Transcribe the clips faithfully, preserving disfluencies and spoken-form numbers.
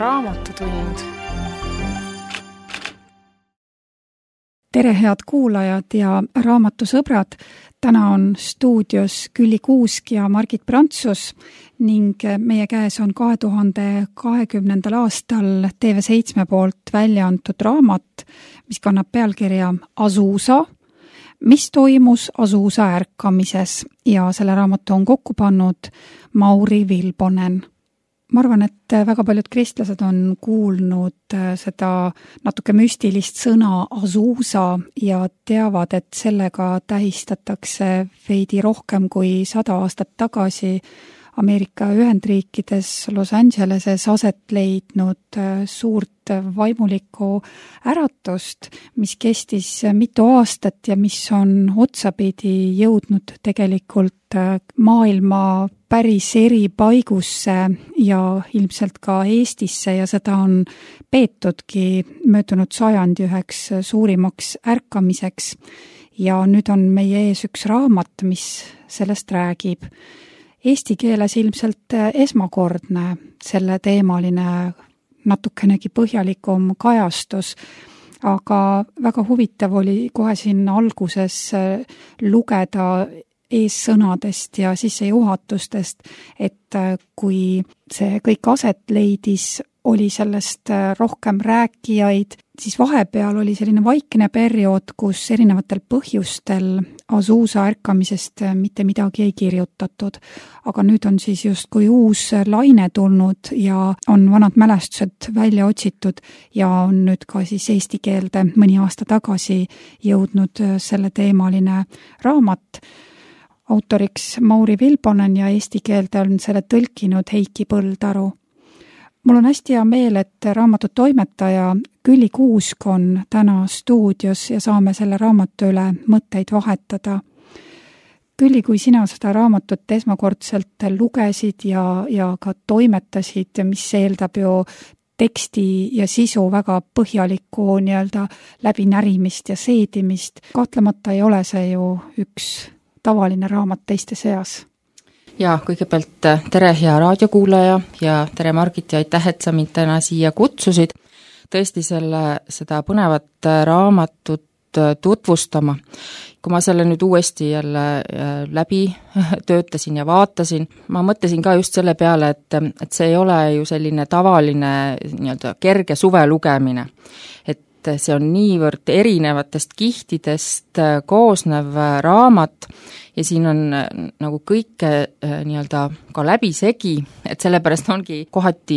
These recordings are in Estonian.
Raamatutund. Tere, head kuulajad ja raamatusõbrad! Täna on stuudios Külli Kuusk ja Margit Prantsus ning meie käes on kahe tuhande kahekümnendal aastal T V seitse poolt välja antud raamat, mis kannab pealkirja Azusa, mis toimus Azusa ärkamises ja selle raamatu on kokku pannud Mauri Vilbonen. Ma arvan, et väga paljud kristlased on kuulnud seda natuke müstilist sõna Azusa ja teavad, et sellega tähistatakse veidi rohkem kui sada aastat tagasi Ameerika Ühendriikides Los Angeleses aset leidnud suurt vaimulikku äratust, mis kestis mitu aastat ja mis on otsapidi jõudnud tegelikult maailma päris eri paigusse ja ilmselt ka Eestisse ja seda on peetudki möödunud sajandi üheks suurimaks ärkamiseks. Ja nüüd on meie ees üks raamat, mis sellest räägib. Eesti keeles ilmselt esmakordne selle teemaline natukenegi põhjalikum kajastus, aga väga huvitav oli kohe siin alguses lugeda eessõnadest ja sissejuhatustest, et kui see kõik aset leidis, oli sellest rohkem rääkijaid, siis vahepeal oli selline vaikne periood, kus erinevatel põhjustel Azusa ärkamisest mitte midagi ei kirjutatud. Aga nüüd on siis justkui uus laine tulnud ja on vanad mälestused välja otsitud ja on nüüd ka siis eesti keelde mõni aasta tagasi jõudnud selle teemaline raamat. Autoriks Mauri Vilbonen ja eesti keelde on selle tõlkinud Heiki Põldaru. Mul on hästi hea meel, et raamatu toimetaja Külli Kuusk on täna stuudios ja saame selle raamatu üle mõtteid vahetada. Külli, kui sina seda raamatut esmakordselt lugesid ja, ja ka toimetasid, mis eeldab ju teksti ja sisu väga põhjalikku nii-öelda läbinärimist ja seedimist, kahtlemata ei ole see ju üks tavaline raamat teiste seas. Ja kõigepealt tere hea raadiokuulaja ja tere Margit ja aitäh, et sa mind täna siia kutsusid. Tõesti selle, seda põnevat raamatut tutvustama. Kui ma selle nüüd uuesti jälle läbi töötasin ja vaatasin, ma mõtlesin ka just selle peale, et, et see ei ole ju selline tavaline nii-öelda kerge suve lugemine. Et see on niivõrd erinevatest kihtidest koosnev raamat ja siin on nagu kõike nii-öelda ka läbisegi, et sellepärast ongi kohati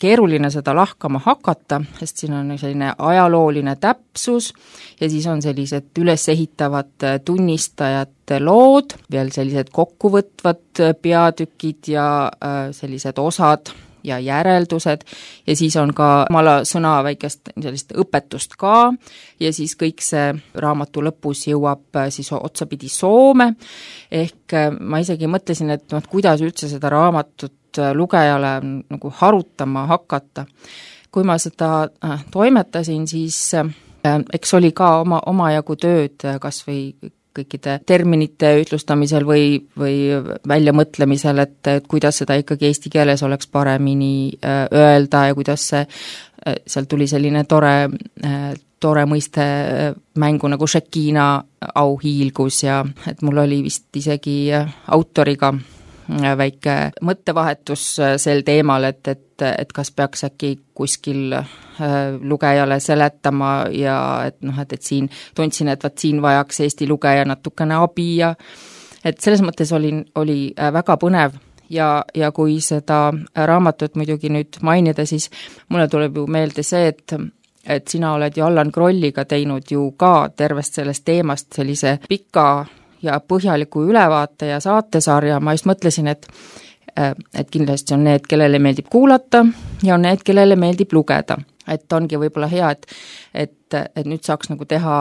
keeruline seda lahkama hakata, sest siin on selline ajalooline täpsus ja siis on sellised ülesehitavad tunnistajate lood, veel sellised kokkuvõtvad peatükid ja sellised osad ja järeldused ja siis on ka omala sõna väikest sellist õpetust ka ja siis kõik see raamatu lõpus jõuab siis otsapidi Soome, ehk ma isegi mõtlesin, et no, kuidas üldse seda raamatut lugejale nagu harutama hakata. Kui ma seda toimetasin, siis eks oli ka oma, omajagu tööd kas või kõikide terminite ütlustamisel või, või väljamõtlemisel, et, et kuidas seda ikkagi eesti keeles oleks paremini öelda ja kuidas see, seal tuli selline tore, tore mõiste mängu nagu Šekina auhiilgus ja et mul oli vist isegi autoriga väike mõttevahetus sel teemal, et, et, et kas peaks äkki kuskil lugejale seletama ja et, noh, et, et siin tundsin, et vaat siin vajaks Eesti lugeja natukene abi ja et selles mõttes oli, oli väga põnev ja, ja kui seda raamatut muidugi nüüd mainida, siis mulle tuleb ju meelde see, et et sina oled ju Allan Krolliga teinud ju ka tervest sellest teemast sellise pika ja põhjaliku ülevaate ja saatesarja, ma just mõtlesin, et, et kindlasti on need, kellele meeldib kuulata ja on need, kellele meeldib lugeda. Et ongi võib-olla hea, et, et, et nüüd saaks nagu teha,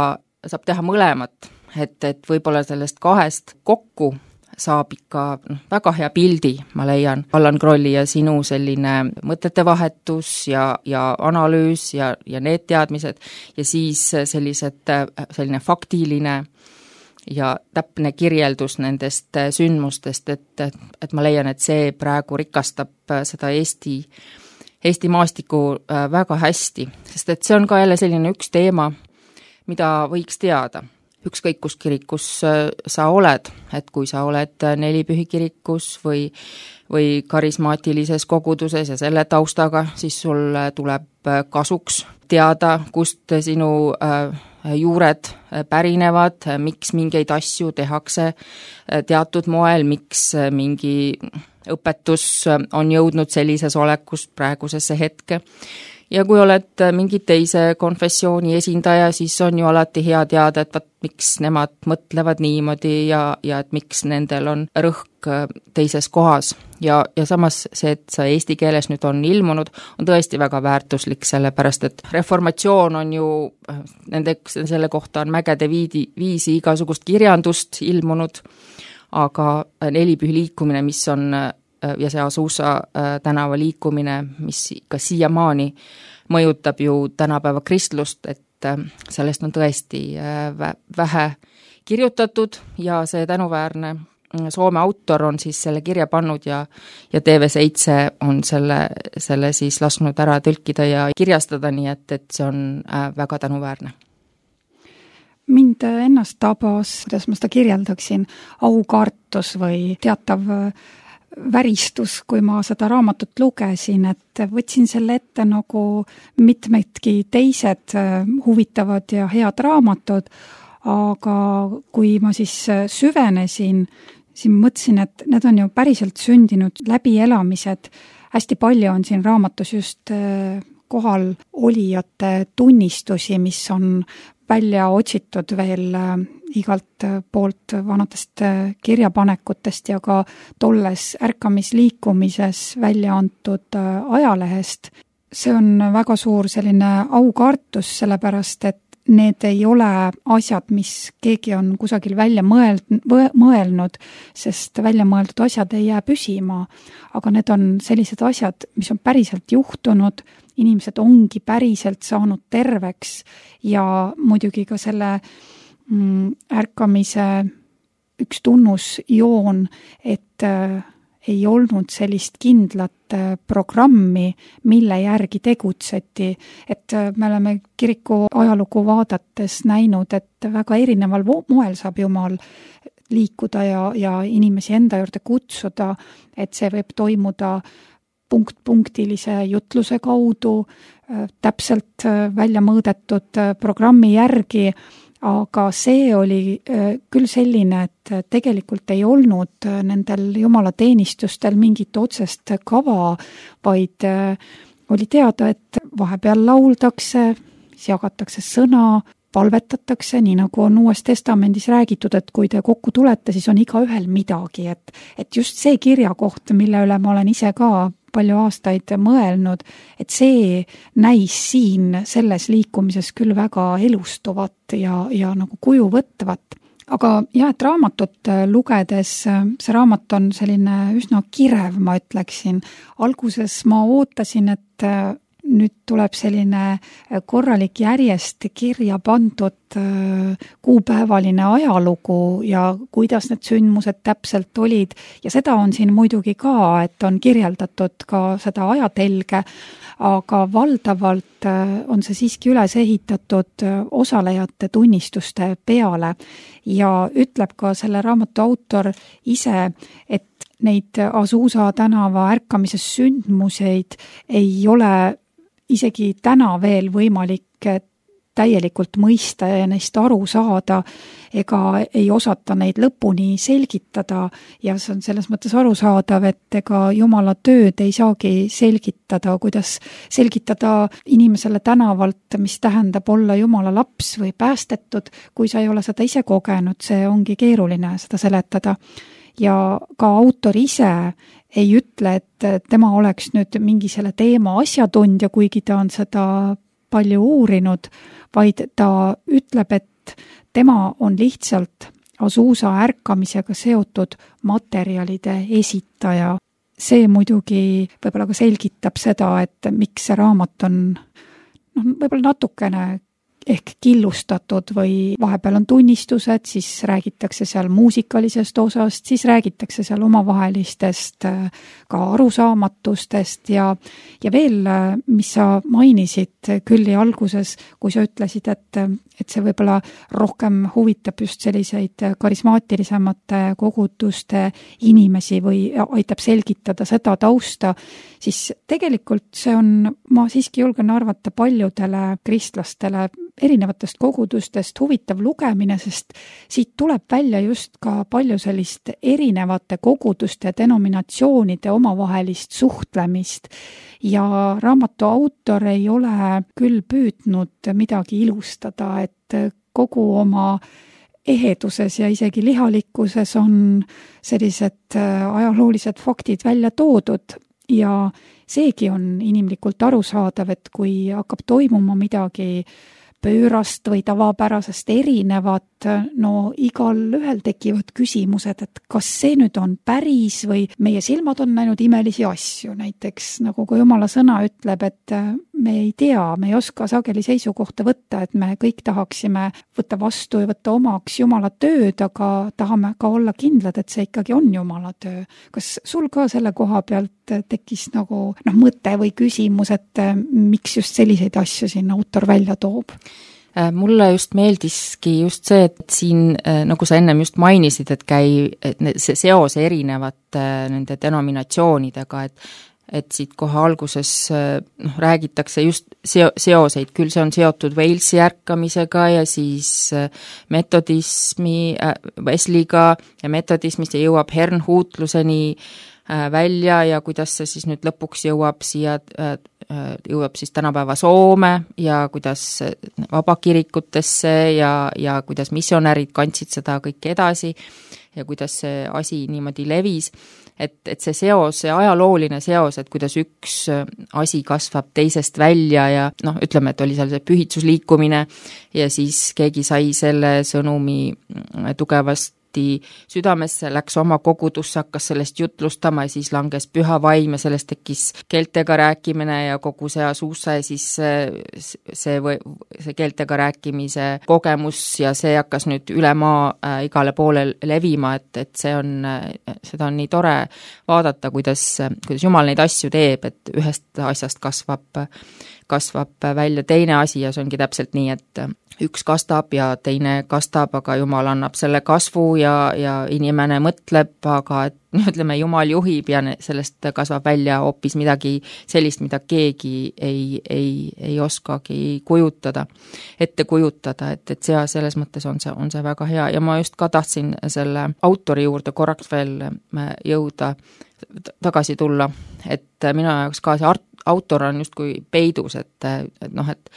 saab teha mõlemat, et, et võib-olla sellest kahest kokku saab ikka noh, väga hea pildi, ma leian, Allan Krolli ja sinu selline mõtete vahetus ja, ja analüüs ja, ja need teadmised ja siis sellised, selline faktiline ja täpne kirjeldus nendest sündmustest, et, et ma leian, et see praegu rikastab seda Eesti, Eesti maastiku väga hästi, sest et see on ka jälle selline üks teema, mida võiks teada. Ükskõik kus kirikus sa oled, et kui sa oled Nelipühi kirikus või, või karismaatilises koguduses ja selle taustaga, siis sul tuleb kasuks teada, kust sinu juured pärinevad, miks mingeid asju tehakse teatud moel, miks mingi õpetus on jõudnud sellises olekus praegusesse hetke. Ja kui oled mingi teise konfessiooni esindaja, siis on ju alati hea teada, et vaat, miks nemad mõtlevad niimoodi ja, ja et miks nendel on rõhk teises kohas. Ja, ja samas see, et see eesti keeles nüüd on ilmunud, on tõesti väga väärtuslik, sellepärast et reformatsioon on ju, nendeks, selle kohta on mägede viidi, viisi igasugust kirjandust ilmunud, aga Nelipühi liikumine, mis on ja see Azusa tänava liikumine, mis ka siiamaani mõjutab ju tänapäeva kristlust, et sellest on tõesti vähe kirjutatud ja see tänuväärne Soome autor on siis selle kirja pannud ja, ja T V seitse on selle, selle siis lasknud ära tõlkida ja kirjastada, nii et, et see on väga tänuväärne. Mind ennast tabas, kuidas ma seda kirjeldaksin, aukartus või teatav väristus, kui ma seda raamatut lugesin, et võtsin selle ette nagu mitmedki teised huvitavad ja head raamatud, aga kui ma siis süvenesin, siis mõtlesin, et need on ju päriselt sündinud läbielamised. Hästi palju on siin raamatus just kohal olijate tunnistusi, mis on välja otsitud veel igalt poolt vanadest kirjapanekutest ja ka tolles ärkamisliikumises välja antud ajalehest. See on väga suur selline aukartus, sellepärast et need ei ole asjad, mis keegi on kusagil välja mõeld, mõelnud, sest välja mõeldud asjad ei jää püsima, aga need on sellised asjad, mis on päriselt juhtunud, inimesed ongi päriselt saanud terveks ja muidugi ka selle mm, ärkamise üks tunnusjoon, et äh, ei olnud sellist kindlat äh, programmi, mille järgi tegutseti. Et äh, me oleme kiriku ajalugu vaadates näinud, et väga erineval moel saab Jumal liikuda ja, ja inimesi enda juurde kutsuda, et see võib toimuda punkt-punktilise jutluse kaudu, täpselt välja mõõdetud programmi järgi, aga see oli küll selline, et tegelikult ei olnud nendel jumalateenistustel mingit otsest kava, vaid oli teada, et vahepeal lauldakse, siis jagatakse sõna, palvetatakse, nii nagu on Uues Testamendis räägitud, et kui te kokku tulete, siis on igaühel midagi, et, et just see kirjakoht, mille üle ma olen ise ka palju aastaid mõelnud, et see näis siin selles liikumises küll väga elustuvat ja, ja nagu kuju võtvat. Aga jah, et raamatut lugedes, see raamat on selline üsna kirev, ma ütleksin. Alguses ma ootasin, et nüüd tuleb selline korralik järjest kirja pandud kuupäevaline ajalugu ja kuidas need sündmused täpselt olid. Ja seda on siin muidugi ka, et on kirjeldatud ka seda ajatelge, aga valdavalt on see siiski üles ehitatud osalejate tunnistuste peale ja ütleb ka selle raamatu autor ise, et neid Azusa tänava ärkamises sündmuseid ei ole isegi täna veel võimalik täielikult mõista ja neist aru saada, ega ei osata neid lõpuni selgitada ja see on selles mõttes arusaadav, et ega Jumala tööd ei saagi selgitada, kuidas selgitada inimesele tänavalt, mis tähendab olla Jumala laps või päästetud, kui sa ei ole seda ise kogenud, see ongi keeruline seda seletada. Ja ka autor ise ei ütle, et tema oleks nüüd mingi selle teema asjatundja, kuigi ta on seda palju uurinud, vaid ta ütleb, et tema on lihtsalt Azusa ärkamisega seotud materjalide esitaja. See muidugi võib-olla ka selgitab seda, et miks see raamat on no, võib-olla natukene ehk killustatud või vahepeal on tunnistused, siis räägitakse seal muusikalisest osast, siis räägitakse seal omavahelistest ka arusaamatustest ja, ja veel, mis sa mainisid Külli alguses, kui sa ütlesid, et, et see võib-olla rohkem huvitab just selliseid karismaatilisemate koguduste inimesi või aitab selgitada seda tausta, siis tegelikult see on, ma siiski julgen arvata paljudele kristlastele erinevatest kogudustest huvitav lugemine, sest siit tuleb välja just ka palju sellist erinevate koguduste denominatsioonide omavahelist suhtlemist ja raamatu autor ei ole küll püüdnud midagi ilustada, et kogu oma eheduses ja isegi lihalikkuses on sellised ajaloolised faktid välja toodud ja seegi on inimlikult arusaadav, et kui hakkab toimuma midagi pöörast või tavapärasest erinevat, no igal ühel tekivad küsimused, et kas see nüüd on päris või meie silmad on näinud imelisi asju, näiteks nagu kui Jumala sõna ütleb, et me ei tea, me ei oska sageli seisukohta võtta, et me kõik tahaksime võtta vastu ja võtta omaks Jumala tööd, aga tahame ka olla kindlad, et see ikkagi on Jumala töö. Kas sul ka selle koha pealt tekkis nagu noh, mõte või küsimus, et miks just selliseid asju siin autor välja toob? Mulle just meeldiski just see, et siin, nagu sa ennem just mainisid, et käi, et see seos erinevate nende denominatsioonidega, et et siit kohe alguses noh, räägitakse just seo, seoseid, küll see on seotud Walesi ärkamisega ja siis metodismi, Wesleyga ja metodismist ja jõuab hernhuutluseni välja ja kuidas see siis nüüd lõpuks jõuab siia, jõuab siis tänapäeva Soome ja kuidas vabakirikutesse ja, ja kuidas missionärid kandsid seda kõike edasi ja kuidas see asi niimoodi levis, et, et see seos, see ajalooline seos, et kuidas üks asi kasvab teisest välja ja noh, ütleme, et oli seal see pühitsusliikumine ja siis keegi sai selle sõnumi tugevast südamesse, läks oma kogudusse, hakkas sellest jutlustama ja siis langes püha vaim ja sellest tekkis keeltega rääkimine ja kogu see suusa ja siis see, või, see keeltega rääkimise kogemus ja see hakkas nüüd üle maa äh, igale poole levima, et, et see on, seda on nii tore vaadata, kuidas, kuidas Jumal neid asju teeb, et ühest asjast kasvab kasvab välja teine asi ja see ongi täpselt nii, et üks kastab ja teine kastab, aga Jumal annab selle kasvu ja, ja inimene mõtleb, aga et ütleme, Jumal juhib ja sellest kasvab välja hoopis midagi sellist, mida keegi ei, ei, ei oskagi kujutada, ette kujutada, et, et see, selles mõttes on see, on see väga hea ja ma just ka tahtsin selle autori juurde korraks veel jõuda, tagasi tulla, et minu jaoks ka see art, autor on justkui peidus, et, et noh, et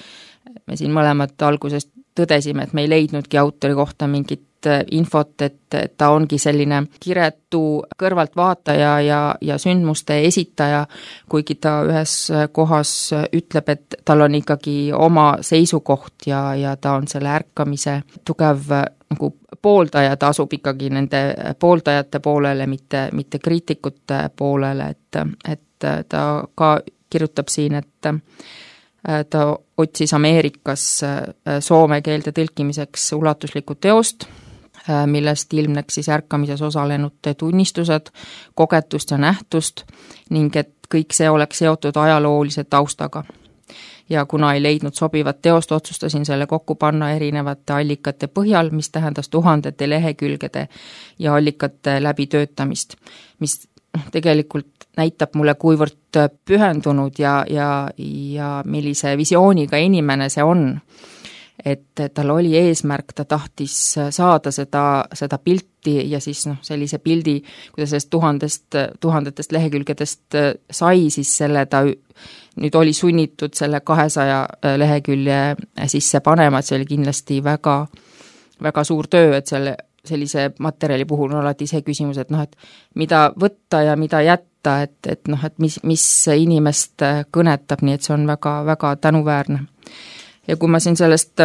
me siin mõlemad algusest tõdesime, et me ei leidnudki autori kohta mingit infot, et, et ta ongi selline kiretu kõrvaltvaataja ja, ja sündmuste esitaja, kuigi ta ühes kohas ütleb, et tal on ikkagi oma seisukoht ja, ja ta on selle ärkamise tugev nagu pooldaja, ta asub ikkagi nende pooldajate poolele, mitte, mitte kriitikute poolele, et, et ta ka kirjutab siin, et ta otsis Ameerikas soome keelde tõlkimiseks ulatuslikku teost, millest ilmneks siis ärkamises osalenute tunnistused, kogetust ja nähtust ning et kõik see oleks seotud ajaloolise taustaga. Ja kuna ei leidnud sobivat teost, otsustasin selle kokku panna erinevate allikate põhjal, mis tähendas tuhandete lehekülgede ja allikate läbitöötamist, mis tegelikult näitab mulle, kuivõrd pühendunud ja, ja, ja millise visiooniga inimene see on. Et tal oli eesmärk, ta tahtis saada seda, seda pilti ja siis noh, sellise pildi, kui ta sellest tuhandest, tuhandetest lehekülgedest sai, siis selle ta nüüd oli sunnitud selle kahesaja lehekülje sisse panema, et see oli kindlasti väga, väga suur töö, et selle sellise materjali puhul on alati see küsimus, et noh, et mida võtta ja mida jätta, et, et noh, et mis, mis inimest kõnetab, nii et see on väga, väga tänuväärne. Ja kui ma siin sellest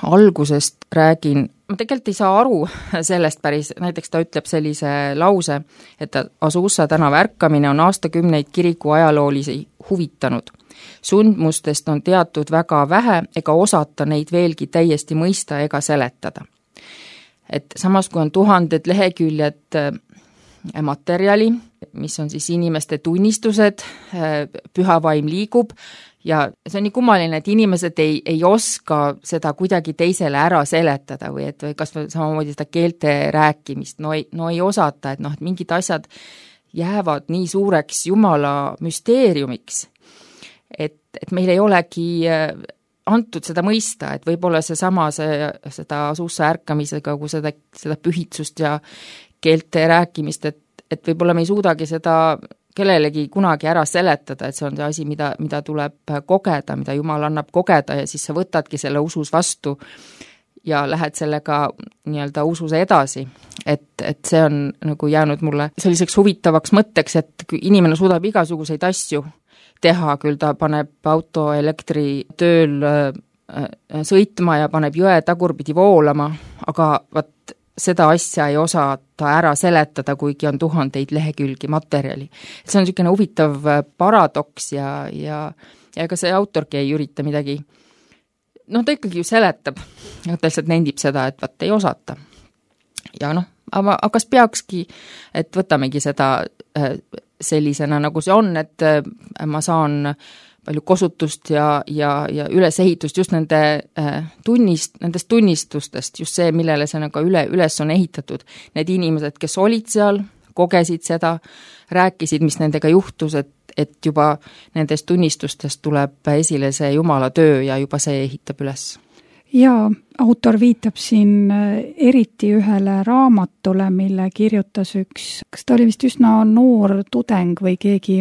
algusest räägin, ma tegelikult ei saa aru sellest päris, näiteks ta ütleb sellise lause, et Azusa tänava ärkamine on aastakümneid kiriku ajaloolisi huvitanud. Sundmustest on teatud väga vähe ega osata neid veelgi täiesti mõista ega seletada. Et samas, kui on tuhanded leheküljed materjali, mis on siis inimeste tunnistused, püha vaim liigub, ja see on nii kummaline, et inimesed ei, ei oska seda kuidagi teisele ära seletada või et või kas või samamoodi seda keelte rääkimist, no ei, no ei osata, et noh, et mingid asjad jäävad nii suureks Jumala müsteeriumiks, et, et meil ei olegi antud seda mõista, et võib-olla see sama, see, seda suusse ärkamisega, kui seda, seda pühitsust ja keelte rääkimist, et, et võib-olla me ei suudagi seda kellelegi kunagi ära seletada, et see on see asi, mida, mida tuleb kogeda, mida Jumal annab kogeda ja siis sa võtadki selle usus vastu ja lähed sellega nii-öelda usus edasi. Et, et see on nagu jäänud mulle selliseks huvitavaks mõtteks, et inimene suudab igasuguseid asju teha, küll ta paneb auto elektri tööl sõitma ja paneb jõe tagurpidi voolama, aga vat seda asja ei osa ta ära seletada, kuigi on tuhandeid lehekülgi materjali. See on niisugune huvitav paradoks ja, ja, ja ega see autorki ei ürita midagi, noh, ta ikkagi ju seletab, ta lihtsalt nendib seda, et vat ei osata. Ja noh, aga, aga kas peakski, et võtamegi seda sellisena, nagu see on, et ma saan palju kosutust ja, ja, ja ülesehitust just nende tunnist, nendest tunnistustest, just see, millele see nagu üle, üles on ehitatud. Need inimesed, kes olid seal, kogesid seda, rääkisid, mis nendega juhtus, et, et juba nendest tunnistustest tuleb esile see Jumala töö ja juba see ehitab üles. Ja autor viitab siin eriti ühele raamatule, mille kirjutas üks, kas ta oli vist üsna noor tudeng või keegi,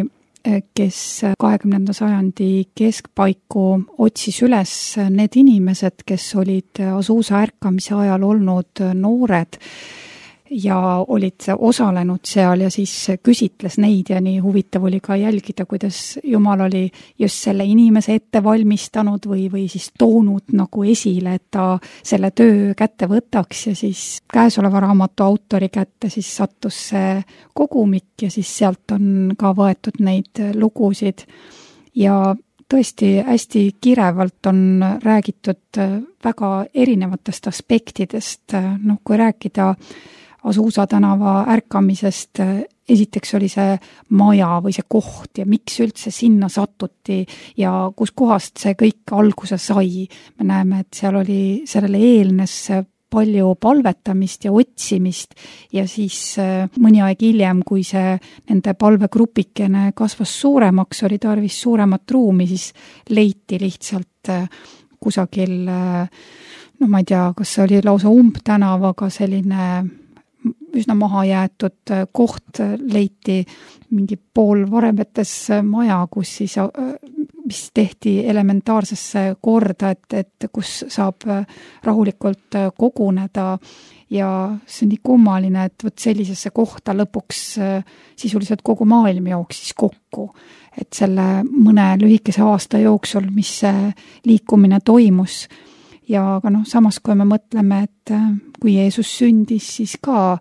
kes kahekümnenda sajandi keskpaiku otsis üles need inimesed, kes olid Azusa ärkamise ajal olnud noored ja olid osalenud seal ja siis küsitles neid ja nii huvitav oli ka jälgida, kuidas Jumal oli just selle inimese ette valmistanud või, või siis toonud nagu esile, et ta selle töö kätte võtaks ja siis käesoleva raamatu autori kätte siis sattus see kogumik ja siis sealt on ka võetud neid lugusid ja tõesti hästi kirevalt on räägitud väga erinevatest aspektidest, noh kui rääkida Azusa tänava ärkamisest, esiteks oli see maja või see koht ja miks üldse sinna satuti ja kus kohast see kõik alguse sai. Me näeme, et seal oli, sellele eelnes palju palvetamist ja otsimist ja siis mõni aeg hiljem, kui see nende palvegrupikene kasvas suuremaks, oli tarvis suuremat ruumi, siis leiti lihtsalt kusagil, no ma ei tea, kas see oli lausa umbtänavaga selline üsna maha jäetud koht, leiti mingi pool varemetes maja, kus siis, mis tehti elementaarsesse korda, et, et kus saab rahulikult koguneda ja see on nii kummaline, et võt sellisesse kohta lõpuks sisuliselt kogu maailm jooksis kokku, et selle mõne lühikese aasta jooksul, mis see liikumine toimus. Ja aga noh, samas kui me mõtleme, et kui Jeesus sündis, siis ka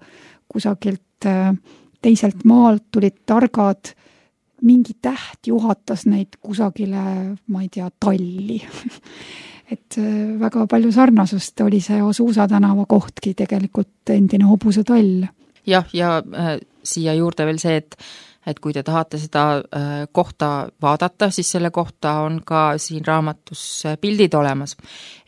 kusagilt teiselt maalt tulid targad, mingi täht juhatas neid kusagile, ma ei tea, talli. Et väga palju sarnasust oli see Azusa tänava kohtki tegelikult endine hobuse tall. Jah, ja äh, siia juurde veel see, et et kui te tahate seda kohta vaadata, siis selle kohta on ka siin raamatus pildid olemas.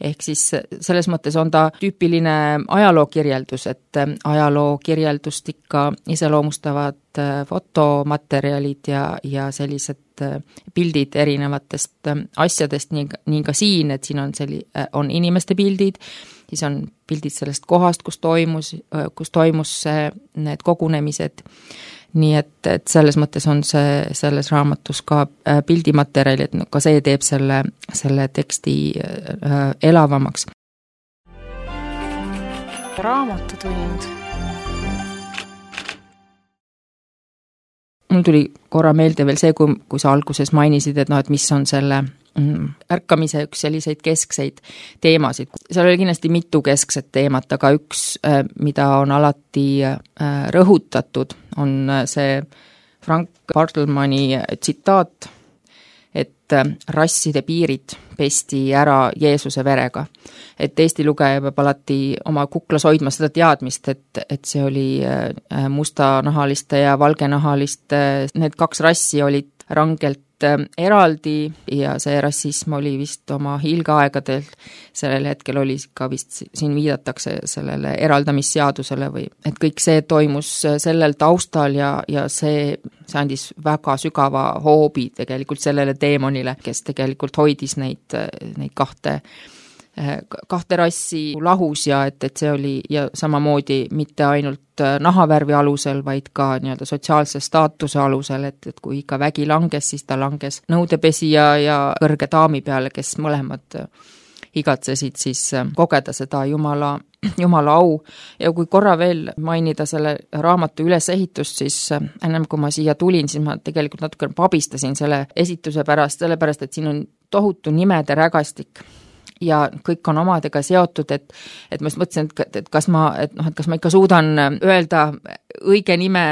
Ehk siis selles mõttes on ta tüüpiline ajalookirjeldus, et ajalookirjeldust ikka iseloomustavad fotomaterjalid ja, ja sellised pildid erinevatest asjadest, nii, nii ka siin, et siin on, selli, on inimeste pildid, siis on pildid sellest kohast, kus toimus, kus toimus see, need kogunemised. Nii et, et selles mõttes on see selles raamatus ka pildimaterjali, et ka see teeb selle, selle teksti elavamaks. Raamatutund. Mul tuli korra meelde veel see, kui, kui sa alguses mainisid, et noh, et mis on selle ärkamise üks selliseid keskseid teemasid. Seal oli kindlasti mitu keskset teemat, aga üks, mida on alati rõhutatud, on see Frank Bartlemani tsitaat, et rasside piirid pesti ära Jeesuse verega. Et Eesti lugeja peab alati oma kuklas hoidma seda teadmist, et, et see oli mustanahaliste ja valgenahaliste, need kaks rassi olid rangelt eraldi ja see rassism oli vist oma hiilgeaegadel, sellel hetkel oli ka vist, siin viidatakse sellele eraldamisseadusele või, et kõik see toimus sellel taustal ja, ja see, see andis väga sügava hoobi tegelikult sellele teemonile, kes tegelikult hoidis neid, neid kahte kahte rassi lahus ja et, et see oli ja samamoodi mitte ainult nahavärvi alusel, vaid ka nii-öelda sotsiaalse staatuse alusel, et, et kui ikka vägi langes, siis ta langes nõudepesija ja kõrge daami peale, kes mõlemad igatsesid siis kogeda seda Jumala, Jumala au. Ja kui korra veel mainida selle raamatu ülesehitust, siis ennem kui ma siia tulin, siis ma tegelikult natuke pabistasin selle esituse pärast, sellepärast, et siin on tohutu nimede rägastik ja kõik on omadega seotud, et, et ma just mõtlesin, et, et kas ma, et noh, et kas ma ikka suudan öelda õige nime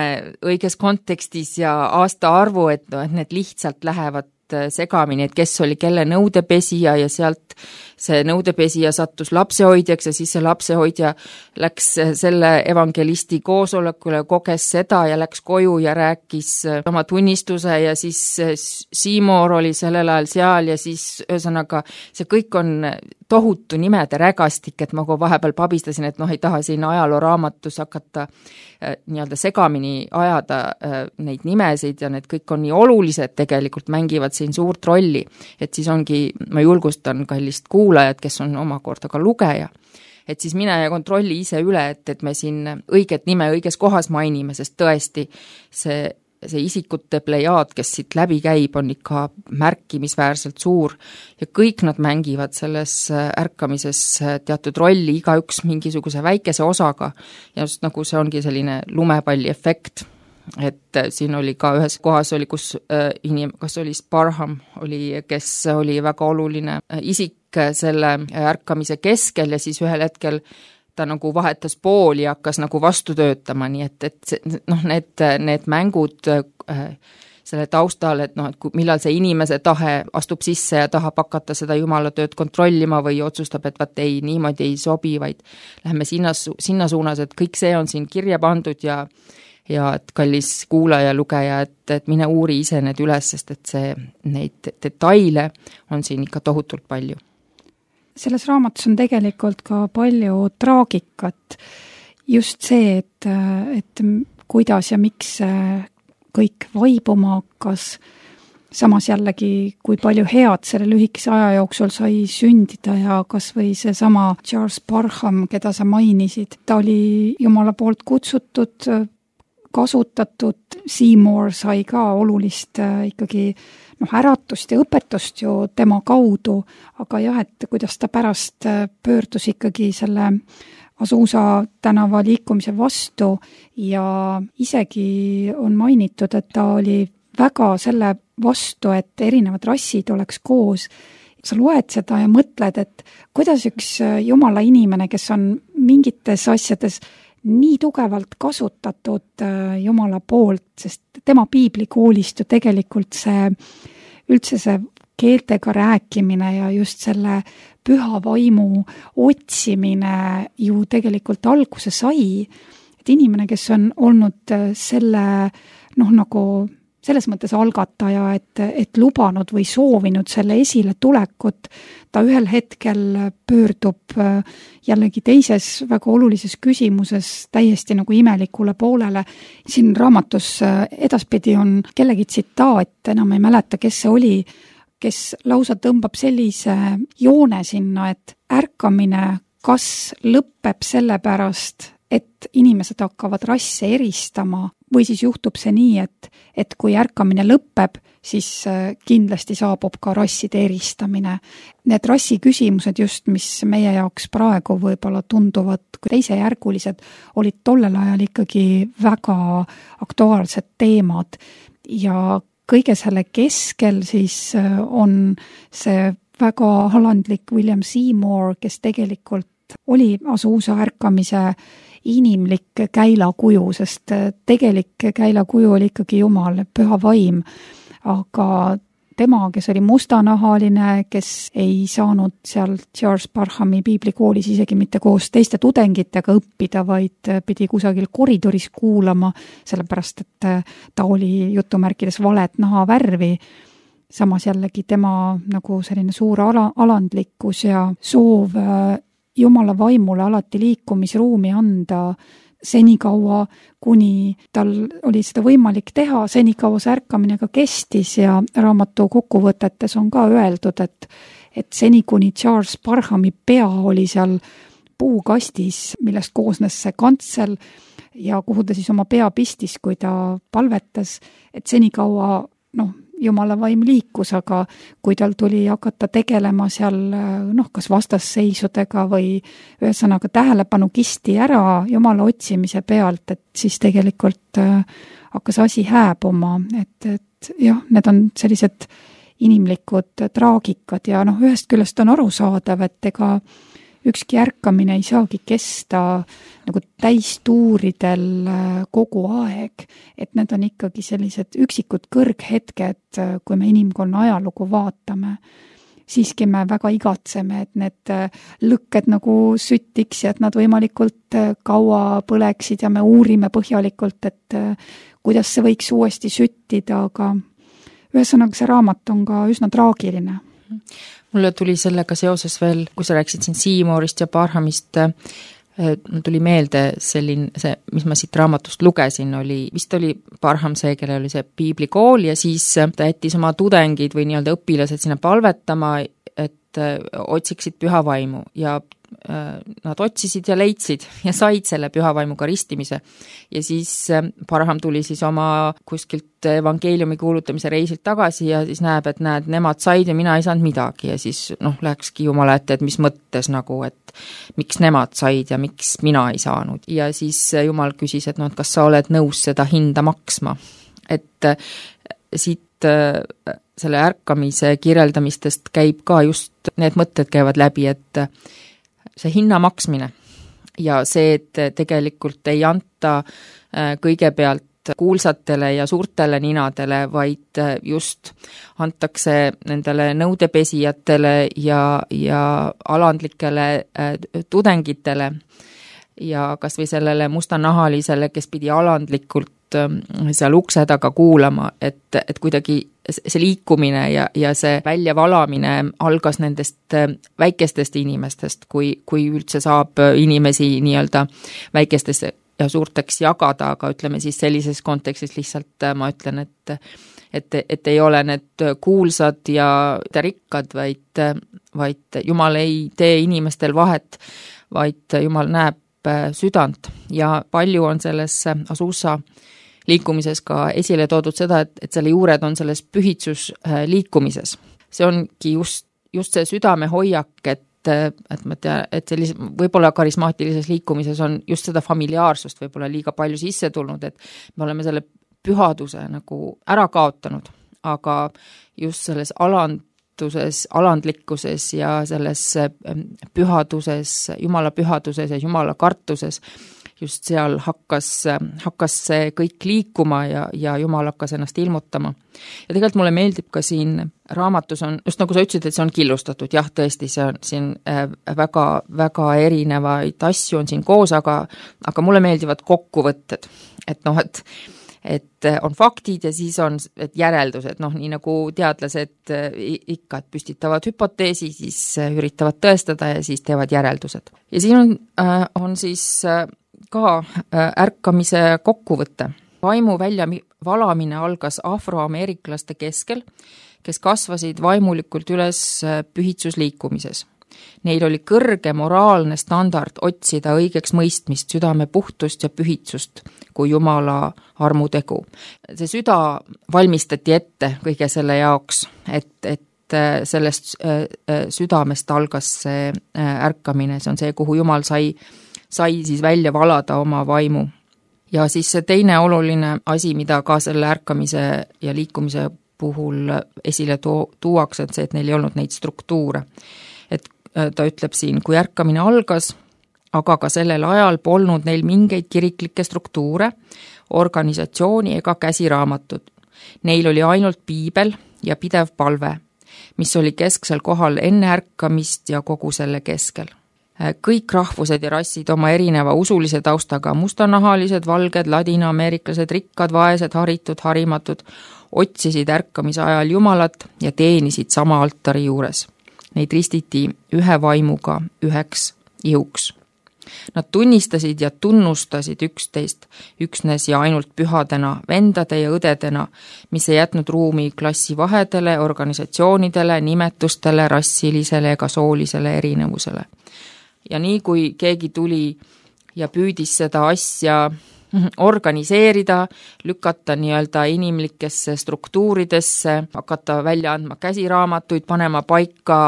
õiges kontekstis ja aasta arvu, et, no, et need lihtsalt lähevad segamini, et kes oli kelle nõudepesija ja sealt see nõudepesija sattus lapsehoidjaks ja siis see lapsehoidja läks selle evangelisti koosolekule, koges seda ja läks koju ja rääkis oma tunnistuse ja siis Seymour oli sellel ajal seal ja siis ühesõnaga see kõik on tohutu nimede rägastik, et ma kui vahepeal pabistasin, et noh, ei taha siin ajalooraamatus hakata äh, nii-öelda segamini ajada äh, neid nimesid ja need kõik on nii olulised, tegelikult mängivad siin suurt rolli, et siis ongi, ma julgustan kallist kuulajat, kes on omakorda ka lugeja, et siis mine ja kontrolli ise üle, et, et me siin õiget nime õiges kohas mainime, sest tõesti see see isikute plejaad, kes siit läbi käib, on ikka märkimisväärselt suur ja kõik nad mängivad selles ärkamises teatud rolli, igaüks mingisuguse väikese osaga ja just nagu see ongi selline lumepalli efekt, et siin oli ka ühes kohas oli, kus äh, inim-, kas oli Sparham, oli, kes oli väga oluline isik selle ärkamise keskel ja siis ühel hetkel ta nagu vahetas pooli ja hakkas nagu vastu töötama, nii et, et noh, need, need mängud äh, selle taustal, et noh, et kui, millal see inimese tahe astub sisse ja tahab hakata seda Jumala tööd kontrollima või otsustab, et vaat ei, niimoodi ei sobi, vaid läheme sinna, sinna suunas, et kõik see on siin kirja pandud ja ja et kallis kuulaja, lugeja, et, et mine uuri ise need üles, sest et see, neid detaile on siin ikka tohutult palju. Selles raamatus on tegelikult ka palju traagikat. Just see, et, et kuidas ja miks kõik vaibuma hakkas. Samas jällegi, kui palju head selle lühikese aja jooksul sai sündida ja kas või see sama Charles Parham, keda sa mainisid, ta oli Jumala poolt kutsutud, kasutatud, Seymour sai ka olulist ikkagi noh, äratust ja õpetust ju tema kaudu, aga jah, et kuidas ta pärast pöördus ikkagi selle Azusa tänava liikumise vastu ja isegi on mainitud, et ta oli väga selle vastu, et erinevad rassid oleks koos. Sa loed seda ja mõtled, et kuidas üks Jumala inimene, kes on mingites asjades nii tugevalt kasutatud Jumala poolt, sest tema piiblikoolist ju tegelikult see, üldse see keeltega rääkimine ja just selle püha vaimu otsimine ju tegelikult alguse sai, et inimene, kes on olnud selle noh, nagu selles mõttes algataja, et, et lubanud või soovinud selle esile tulekut, ta ühel hetkel pöördub jällegi teises väga olulises küsimuses täiesti nagu imelikule poolele. Siin raamatus edaspidi on kellegi tsitaat, enam ei mäleta, kes see oli, kes lausa tõmbab sellise joone sinna, et ärkamine kas lõpeb selle pärast, et inimesed hakkavad rasse eristama või siis juhtub see nii, et, et kui ärkamine lõpeb, siis kindlasti saabub ka rasside eristamine. Need rassi küsimused just, mis meie jaoks praegu võib-olla tunduvad kui teisejärgulised, olid tollel ajal ikkagi väga aktuaalsed teemad ja kõige selle keskel siis on see väga alandlik William Seymour, kes tegelikult oli Azusa ärkamise inimlik käilakuju, sest tegelik käilakuju oli ikkagi Jumal, püha vaim, aga tema, kes oli mustanahaline, kes ei saanud seal Charles Parhami piiblikoolis isegi mitte koos teiste tudengitega õppida, vaid pidi kusagil koridoris kuulama, sellepärast et ta oli jutumärkides valet nahavärvi. Samas jällegi tema nagu selline suur ala, alandlikkus ja soov Jumala vaimule alati liikumisruumi anda senikaua, kuni tal oli seda võimalik teha, senikaua see ärkamine ka kestis ja raamatu kokkuvõtetes on ka öeldud, et, et seni kuni Charles Parhami pea oli seal puukastis, millest koosnes see kantsel ja kuhu ta siis oma pea pistis, kui ta palvetas, et senikaua noh, Jumala vaim liikus, aga kui tal tuli hakata tegelema seal noh, kas vastasseisudega või ühesõnaga tähelepanu kisti ära Jumala otsimise pealt, et siis tegelikult hakkas asi hääbuma, et, et jah, need on sellised inimlikud traagikad ja noh, ühest küljest on arusaadav, et ega ükski ärkamine ei saagi kesta nagu täistuuridel kogu aeg, et need on ikkagi sellised üksikud kõrghetked, kui me inimkonna ajalugu vaatame. Siiski me väga igatseme, et need lõkked nagu süttiks ja et nad võimalikult kaua põleksid ja me uurime põhjalikult, et kuidas see võiks uuesti süttida, aga ühesõnaga see raamat on ka üsna traagiline. Mulle tuli sellega seoses veel, kui sa rääksid siin Seymourist ja Parhamist, tuli meelde selline, see, mis ma siit raamatust lugesin, oli, vist oli Parham see, kelle oli see piiblikool ja siis ta jättis oma tudengid või nii-öelda õpilased sinna palvetama, et otsiksid püha vaimu ja nad otsisid ja leidsid ja said selle pühavaimuga ristimise. Ja siis Parham tuli siis oma kuskilt evangeeliumi kuulutamise reisilt tagasi ja siis näeb, et näed, nemad said ja mina ei saanud midagi ja siis noh, lähekski Jumala ette, et mis mõttes nagu, et miks nemad said ja miks mina ei saanud. Ja siis Jumal küsis, et noh, et kas sa oled nõus seda hinda maksma. Et siit selle ärkamise kirjeldamistest käib ka just need mõtted käivad läbi, et see hinna maksmine ja see, et tegelikult ei anta kõigepealt kuulsatele ja suurtele ninadele, vaid just antakse nendele nõudepesijatele ja, ja alandlikele tudengitele ja kas või sellele mustanahalisele, kes pidi alandlikult seal ukse taga kuulama, et, et kuidagi see liikumine ja, ja see väljavalamine algas nendest väikestest inimestest, kui, kui üldse saab inimesi nii-öelda väikestest ja suurteks jagada, aga ütleme siis sellises kontekstis lihtsalt ma ütlen, et, et, et ei ole need kuulsad ja rikkad, vaid, vaid Jumal ei tee inimestel vahet, vaid Jumal näeb südant ja palju on selles Azusa liikumises ka esile toodud seda, et, et selle juured on selles pühitsus liikumises. See ongi just, just see südame hoiak, et, et ma tea, et sellise, võib-olla karismaatilises liikumises on just seda familiaarsust võib-olla liiga palju sisse tulnud, et me oleme selle pühaduse nagu ära kaotanud, aga just selles alanduses, alandlikkuses ja selles pühaduses, Jumala pühaduses ja Jumala kartuses just seal hakkas, hakkas see kõik liikuma ja, ja Jumal hakkas ennast ilmutama. Ja tegelikult mulle meeldib ka siin raamatus on, just nagu sa ütlesid, et see on killustatud, jah, tõesti, see on siin väga, väga erinevaid asju on siin koos, aga, aga mulle meeldivad kokkuvõtted, et noh, et et on faktid ja siis on et järeldused, noh, nii nagu teadlased ikka, et püstitavad hüpoteesi, siis üritavad tõestada ja siis teevad järeldused. Ja siin on, on siis ka ärkamise kokkuvõte. Vaimu välja valamine algas afroameeriklaste keskel, kes kasvasid vaimulikult üles pühitsusliikumises. Neil oli kõrge moraalne standard otsida õigeks mõistmist, südame puhtust ja pühitsust kui Jumala armutegu. See süda valmistati ette kõige selle jaoks, et, et sellest südamest algas see ärkamine, see on see, kuhu Jumal sai, sai siis välja valada oma vaimu. Ja siis see teine oluline asi, mida ka selle ärkamise ja liikumise puhul esile tu- tuuakse, et see, et neil ei olnud neid struktuure. Et ta ütleb siin, kui ärkamine algas, aga ka sellel ajal polnud neil mingeid kiriklikke struktuure, organisatsiooni ega käsiraamatut. Neil oli ainult piibel ja pidev palve, mis oli kesksel kohal enne ärkamist ja kogu selle keskel. Kõik rahvused ja rassid oma erineva usulise taustaga, mustanahalised, valged, ladina-ameeriklased, rikkad, vaesed, haritud, harimatud, otsisid ärkamise ajal Jumalat ja teenisid sama altari juures. Neid ristiti ühe vaimuga üheks ihuks. Nad tunnistasid ja tunnustasid üksteist üksnes ja ainult pühadena, vendade ja õdedena, mis ei jätnud ruumi klassivahedele, organisatsioonidele, nimetustele, rassilisele ega soolisele erinevusele. Ja nii kui keegi tuli ja püüdis seda asja organiseerida, lükata nii-öelda inimlikesse struktuuridesse, hakata välja andma käsiraamatuid, panema paika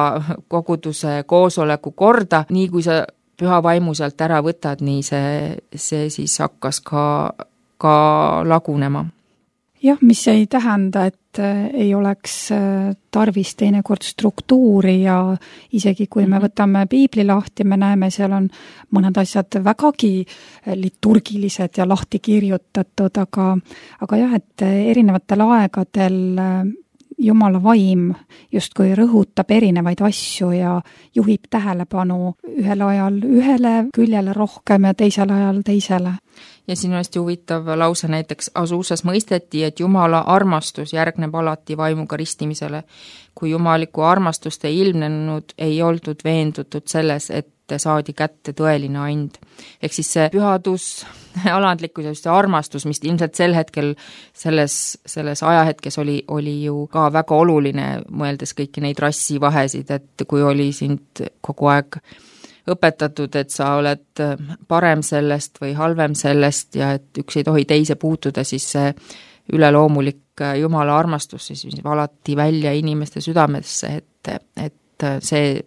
koguduse koosoleku korda, nii kui sa püha vaimu sealt ära võtad, nii see, see siis hakkas ka, ka lagunema. Jah, mis ei tähenda, et ei oleks tarvis teinekord struktuuri ja isegi kui me võtame piibli lahti, me näeme, seal on mõned asjad vägagi liturgilised ja lahti kirjutatud, aga, aga jah, et erinevatel aegadel Jumala vaim justkui rõhutab erinevaid asju ja juhib tähelepanu ühel ajal ühele küljele rohkem ja teisel ajal teisele. Ja siin on hästi huvitav lause näiteks Asusas mõisteti, et Jumala armastus järgneb alati vaimuga ristimisele. Kui jumalikku armastust ei ilmnenud, ei oldud veendutud selles, et saadi kätte tõeline and. Ehk siis see pühadus, alandlikkus ja see armastus, mis ilmselt sel hetkel selles, selles ajahetkes oli, oli ju ka väga oluline, mõeldes kõiki neid rassivahesid, et kui oli sind kogu aeg õpetatud, et sa oled parem sellest või halvem sellest ja et üks ei tohi teise puutuda, siis see üleloomulik Jumala armastus siis alati välja inimeste südamesse, et, et see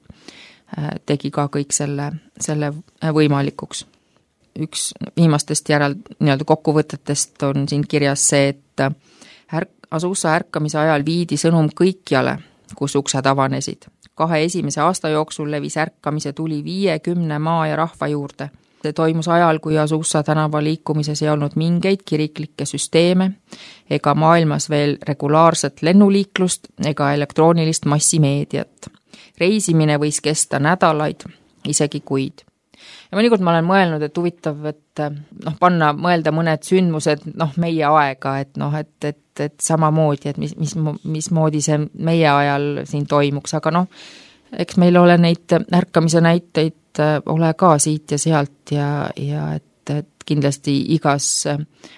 tegi ka kõik selle, selle võimalikuks. Üks viimastest järel nii-öelda kokkuvõtetest on siin kirjas see, et ärk, Asusa ärkamise ajal viidi sõnum kõikjale, kus uksed avanesid. Kahe esimese aasta jooksul levis ärkamise tuli viiekümne maa ja rahva juurde. See toimus ajal, kui Asusa tänava liikumises ei olnud mingeid kiriklikke süsteeme ega maailmas veel regulaarset lennuliiklust ega elektroonilist massimeediat. Reisimine võis kesta nädalaid, isegi kuid. Ja mõnikord ma olen mõelnud, et huvitav, et noh, panna, mõelda mõned sündmused noh, meie aega, et noh, et, et, et samamoodi, et mis, mis, mis moodi see meie ajal siin toimuks, aga noh, eks meil ole neid ärkamise näiteid ole ka siit ja sealt ja, ja et, et kindlasti igas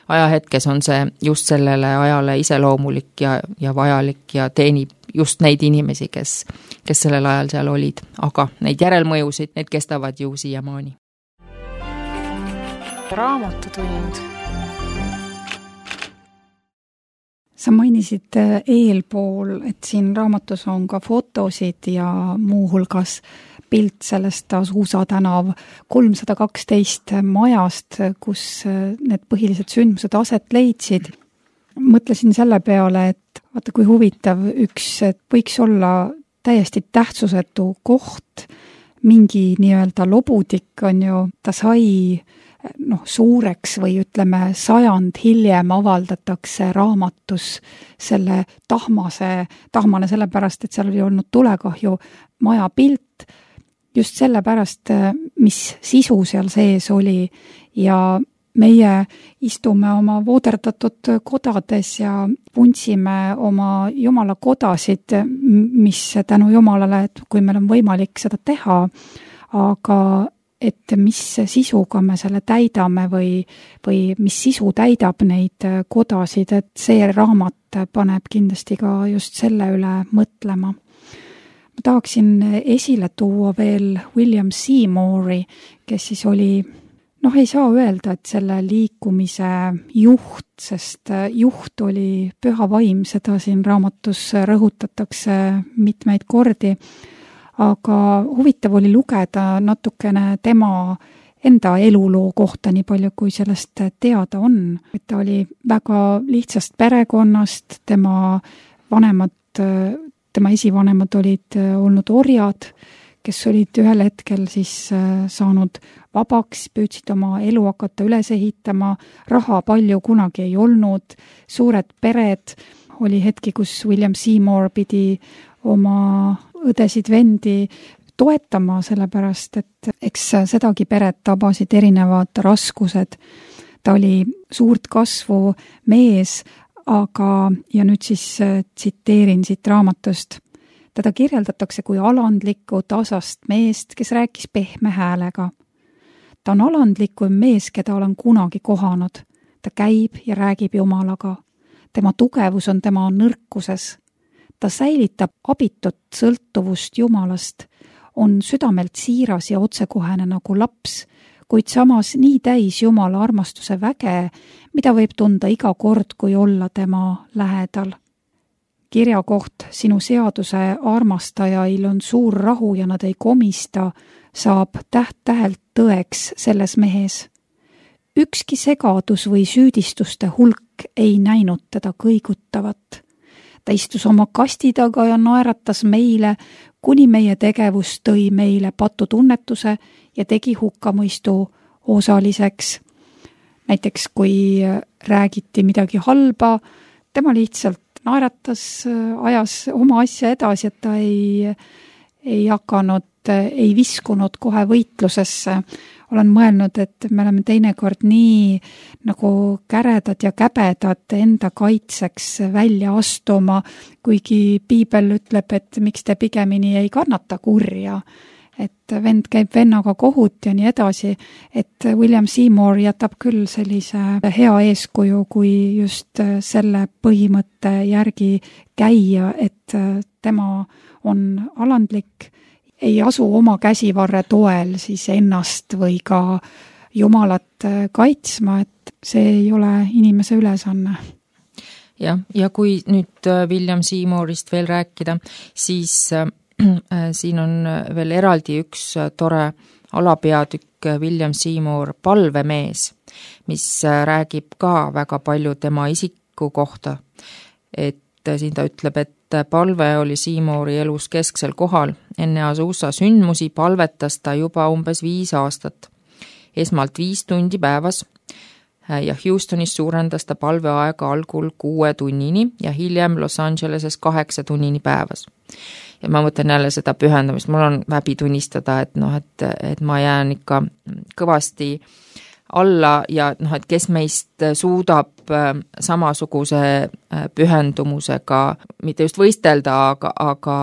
ajahetkes on see just sellele ajale iseloomulik ja, ja vajalik ja teenib just neid inimesi, kes, kes sellel ajal seal olid, aga neid järelmõjusid, need kestavad ju siiamaani. Raamatutund. Sa mainisid eelpool, et siin raamatus on ka fotosid ja muu hulgas pilt sellest Asusa tänav kolmsada kaksteist majast, kus need põhilised sündmused aset leidsid. Mõtlesin selle peale, et vaata kui huvitav üks, et võiks olla täiesti tähtsusetu koht, mingi nii-öelda lobudik on ju, ta sai noh, suureks või ütleme sajand hiljem avaldatakse raamatus selle tahmase, tahmane sellepärast, et seal oli olnud tulekahju maja pilt, just sellepärast, mis sisu seal sees oli ja meie istume oma vooderdatud kodades ja puntsime oma Jumala kodasid, mis tänu Jumalale, et kui meil on võimalik seda teha, aga et mis sisuga me selle täidame või, või mis sisu täidab neid kodasid, et see raamat paneb kindlasti ka just selle üle mõtlema. Ma tahaksin esile tuua veel William Seymouri, kes siis oli, noh ei saa öelda, et selle liikumise juht, sest juht oli püha vaim, seda siin raamatus rõhutatakse mitmeid kordi, aga huvitav oli lugeda natukene tema enda eluloo kohta, nii palju kui sellest teada on. Et ta oli väga lihtsast perekonnast, tema vanemad, tema esivanemad olid olnud orjad, kes olid ühel hetkel siis saanud vabaks, püüdsid oma elu hakata üles ehitama, raha palju kunagi ei olnud, suured pered, oli hetki, kus William Seymour pidi oma õdesid vendi toetama, sellepärast et eks sedagi peret tabasid erinevad raskused. Ta oli suurt kasvu mees, aga, ja nüüd siis tsiteerin siit raamatust, teda kirjeldatakse kui alandlikku tasast meest, kes rääkis pehme häälega. Ta on alandlikum mees, keda olen kunagi kohanud. Ta käib ja räägib Jumalaga. Tema tugevus on tema nõrkuses. Ta säilitab abitut sõltuvust Jumalast, on südamelt siiras ja otsekohene nagu laps, kuid samas nii täis Jumala armastuse väge, mida võib tunda iga kord, kui olla tema lähedal. Kirja koht sinu seaduse armastajail on suur rahu ja nad ei komista, saab täht-tähelt tõeks selles mehes. Ükski segadus või süüdistuste hulk ei näinud teda kõigutavat. Ta istus oma kasti taga ja naeratas meile, kuni meie tegevus tõi meile patutunnetuse ja tegi hukkamõistu osaliseks. Näiteks kui räägiti midagi halba, tema lihtsalt naeratas, ajas oma asja edasi, et ta ei, ei hakanud, ei viskunud kohe võitlusesse. Olen mõelnud, et me oleme teinekord nii nagu käredad ja käbedad enda kaitseks välja astuma, kuigi piibel ütleb, et miks te pigemini ei kannata kurja, et vend käib vennaga kohut ja nii edasi, et William Seymour jätab küll sellise hea eeskuju, kui just selle põhimõtte järgi käia, et tema on alandlik, ei asu oma käsivarre toel siis ennast või ka Jumalat kaitsma, et see ei ole inimese ülesanne. jah, ja kui nüüd William Seymourist veel rääkida, siis äh, siin on veel eraldi üks tore alapeatükk William Seymour palvemees, mis räägib ka väga palju tema isiku kohta. Et siin ta ütleb, et palve oli Seymouri elus kesksel kohal. Enne Azusa sündmusi palvetas ta juba umbes viis aastat. Esmalt viis tundi päevas ja Houstonis suurendas ta palveaega algul kuue tunnini ja hiljem Los Angeleses kaheksa tunnini päevas. Ja ma mõtlen jälle seda pühendamist. Mul on häbi tunnistada, et, noh, et, et ma jään ikka kõvasti alla ja noh, et kes meist suudab samasuguse pühendumusega mitte just võistelda, aga, aga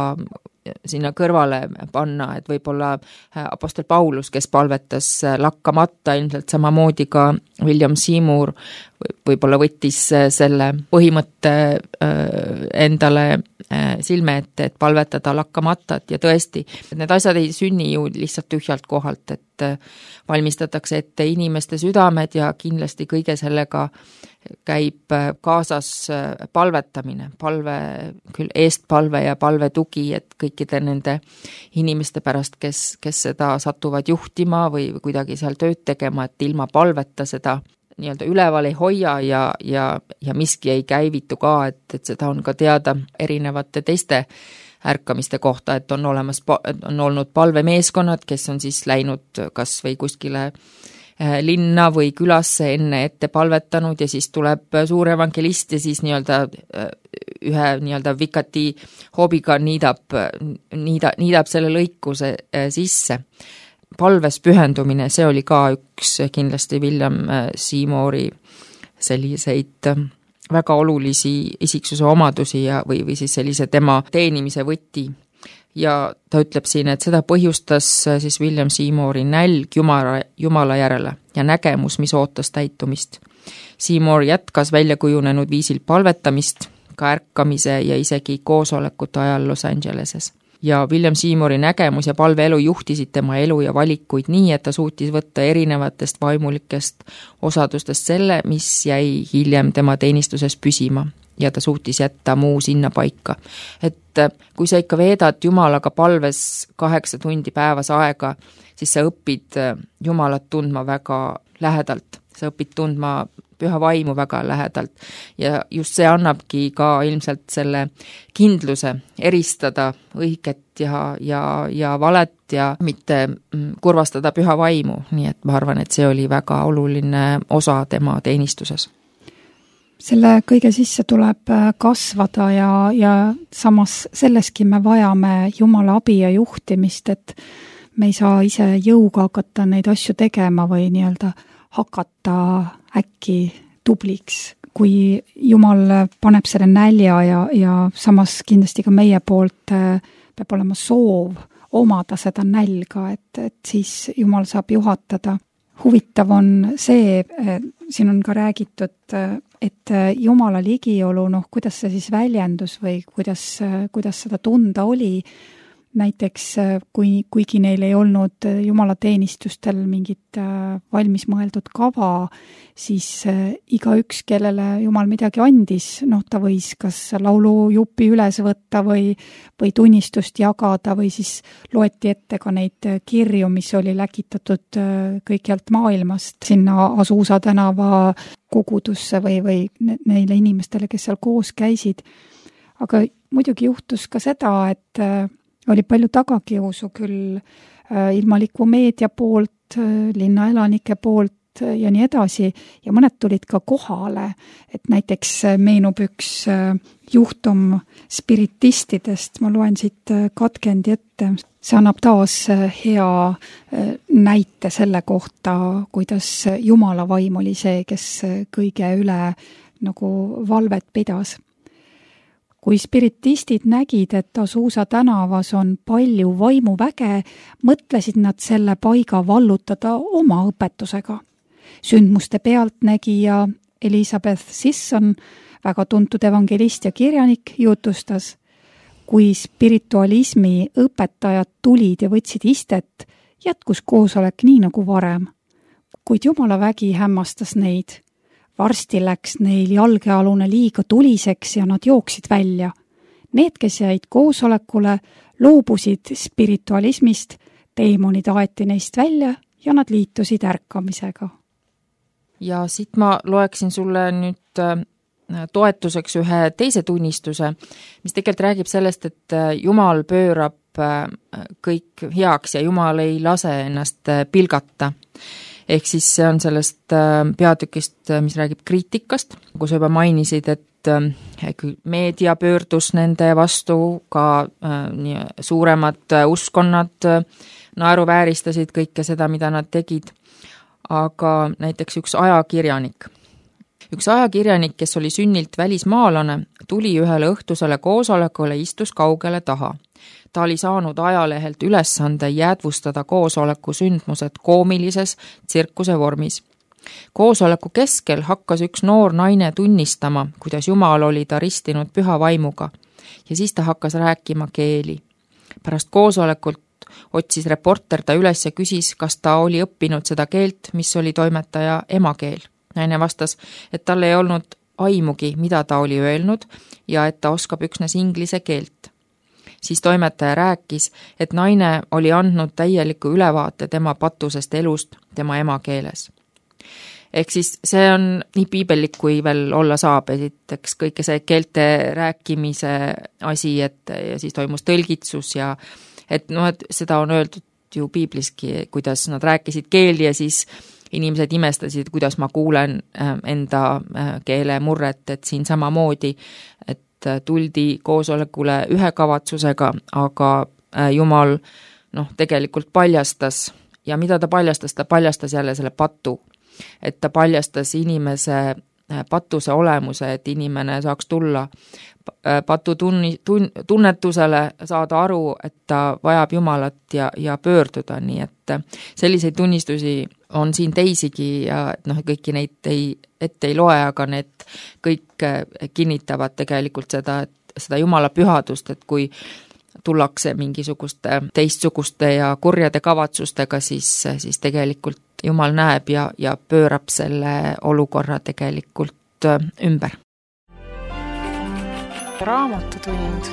sinna kõrvale panna, et võib-olla apostel Paulus, kes palvetas lakkamata, ilmselt samamoodi ka William Seymour võib-olla võttis selle põhimõtte endale silme ette, et palvetada lakkamatat ja tõesti, need asjad ei sünni ju lihtsalt tühjalt kohalt, et valmistatakse ette inimeste südamed ja kindlasti kõige sellega käib kaasas palvetamine, palve, küll eestpalve ja palve tugi, et kõikide nende inimeste pärast, kes, kes seda satuvad juhtima või kuidagi seal tööd tegema, et ilma palveta seda nii-öelda üleval ei hoia ja, ja, ja miski ei käivitu ka, et, et seda on ka teada erinevate teiste ärkamiste kohta, et on olemas, on olnud palvemeeskonnad, kes on siis läinud kas või kuskile linna või külasse enne ette palvetanud ja siis tuleb suur evangelist ja siis nii-öelda ühe nii-öelda vikati hoobiga niidab, niida, niidab selle lõikuse sisse. Palves pühendumine, see oli ka üks kindlasti William Seymouri selliseid väga olulisi isiksuse omadusi ja, või, või siis sellise tema teenimise võti. Ja ta ütleb siin, et seda põhjustas siis William Seymouri nälg Jumala, Jumala järele ja nägemus, mis ootas täitumist. Seymour jätkas väljakujunenud viisil palvetamist, ka ärkamise ja isegi koosolekute ajal Los Angeleses. Ja William Seymouri nägemus ja palveelu juhtisid tema elu ja valikuid nii, et ta suutis võtta erinevatest vaimulikest osadustest selle, mis jäi hiljem tema teenistuses püsima. Ja ta suutis jätta muu sinna paika. Et kui sa ikka veedad Jumalaga palves kaheksa tundi päevas aega, siis sa õpid Jumalat tundma väga lähedalt. Sa õpid tundma püha vaimu väga lähedalt ja just see annabki ka ilmselt selle kindluse eristada õiget ja, ja, ja valet ja mitte kurvastada püha vaimu, nii et ma arvan, et see oli väga oluline osa tema teenistuses. selle kõige sisse tuleb kasvada ja, ja samas selleski me vajame Jumala abi ja juhtimist, et me ei saa ise jõuga hakata neid asju tegema või nii-öelda hakata äkki tubliks, kui Jumal paneb selle nälja ja, ja samas kindlasti ka meie poolt peab olema soov omada seda nälga, et, et siis Jumal saab juhatada. Huvitav on see, siin on ka räägitud, et Jumala ligiolu, noh, kuidas see siis väljendus või kuidas, kuidas seda tunda oli. Näiteks, kui, kuigi neil ei olnud Jumala teenistustel mingit valmis mõeldud kava, siis iga üks, kellele Jumal midagi andis, noh, ta võis kas laulujupi üles võtta või, või tunnistust jagada või siis loeti ette ka neid kirju, mis oli läkitatud kõikjalt maailmast sinna Asuusa tänava kogudusse või, või neile inimestele, kes seal koos käisid. Aga muidugi juhtus ka seda, et oli palju tagakiusu küll ilmaliku meedia poolt, linna elanike poolt ja nii edasi ja mõned tulid ka kohale, et näiteks meenub üks juhtum spiritistidest, ma loen siit katkendi ette, see annab taas hea näite selle kohta, kuidas Jumala vaim oli see, kes kõige üle nagu valvet pidas. Kui spiritistid nägid, et Asuusa tänavas on palju vaimuväge, mõtlesid nad selle paiga vallutada oma õpetusega. Sündmuste pealtnägija Elizabeth Sisson, väga tuntud evangelist ja kirjanik, jutustas, kui spiritualismi õpetajad tulid ja võtsid istet, jätkus koosolek nii nagu varem. Kuid Jumala vägi hämmastas neid. Varsti läks neil jalgealune liiga tuliseks ja nad jooksid välja. Need, kes jäid koosolekule, loobusid spiritualismist, teemonid aeti neist välja ja nad liitusid ärkamisega. Ja siit ma loeksin sulle nüüd toetuseks ühe teise tunnistuse, mis tegelikult räägib sellest, et Jumal pöörab kõik heaks ja Jumal ei lase ennast pilgata. Ehk siis see on sellest peatükist, mis räägib kriitikast, kus juba mainisid, et meedia pöördus nende vastu, ka suuremad uskonnad naeruvääristasid kõike seda, mida nad tegid. Aga näiteks üks ajakirjanik. Üks ajakirjanik, kes oli sünnilt välismaalane, tuli ühele õhtusele koosolekule, istus kaugele taha. Ta oli saanud ajalehelt ülesande jäädvustada koosoleku sündmused koomilises tsirkuse vormis. Koosoleku keskel hakkas üks noor naine tunnistama, kuidas Jumal oli ta ristinud püha vaimuga ja siis ta hakkas rääkima keeli. Pärast koosolekult otsis reporter ta üles ja küsis, kas ta oli õppinud seda keelt, mis oli toimetaja emakeel. Naine vastas, et tal ei olnud aimugi, mida ta oli öelnud ja et ta oskab üksnes inglise keelt. Siis toimetaja rääkis, et naine oli andnud täieliku ülevaate tema patusest elust tema emakeeles. Ehk siis see on nii piibellik, kui veel olla saab, esiteks kõike see keelte rääkimise asi, et ja siis toimus tõlgitsus ja et, no, et seda on öeldud ju piibliski, kuidas nad rääkisid keeli ja siis inimesed imestasid, kuidas ma kuulen enda keele murret, et siin samamoodi, et tuldi koosolekule ühe kavatsusega, aga Jumal noh, tegelikult paljastas ja mida ta paljastas, ta paljastas jälle selle patu, et ta paljastas inimese patuse olemuse, et inimene saaks tulla patu tunni, tun, tunnetusele, saada aru, et ta vajab Jumalat ja, ja pöörduda, nii et selliseid tunnistusi on siin teisigi ja noh, kõiki neid ei, ette ei loe, aga need kõik kinnitavad tegelikult seda, et seda Jumala pühadust, et kui tullakse mingisuguste teistsuguste ja kurjade kavatsustega, siis, siis tegelikult Jumal näeb ja, ja pöörab selle olukorra tegelikult ümber. Raamatutund.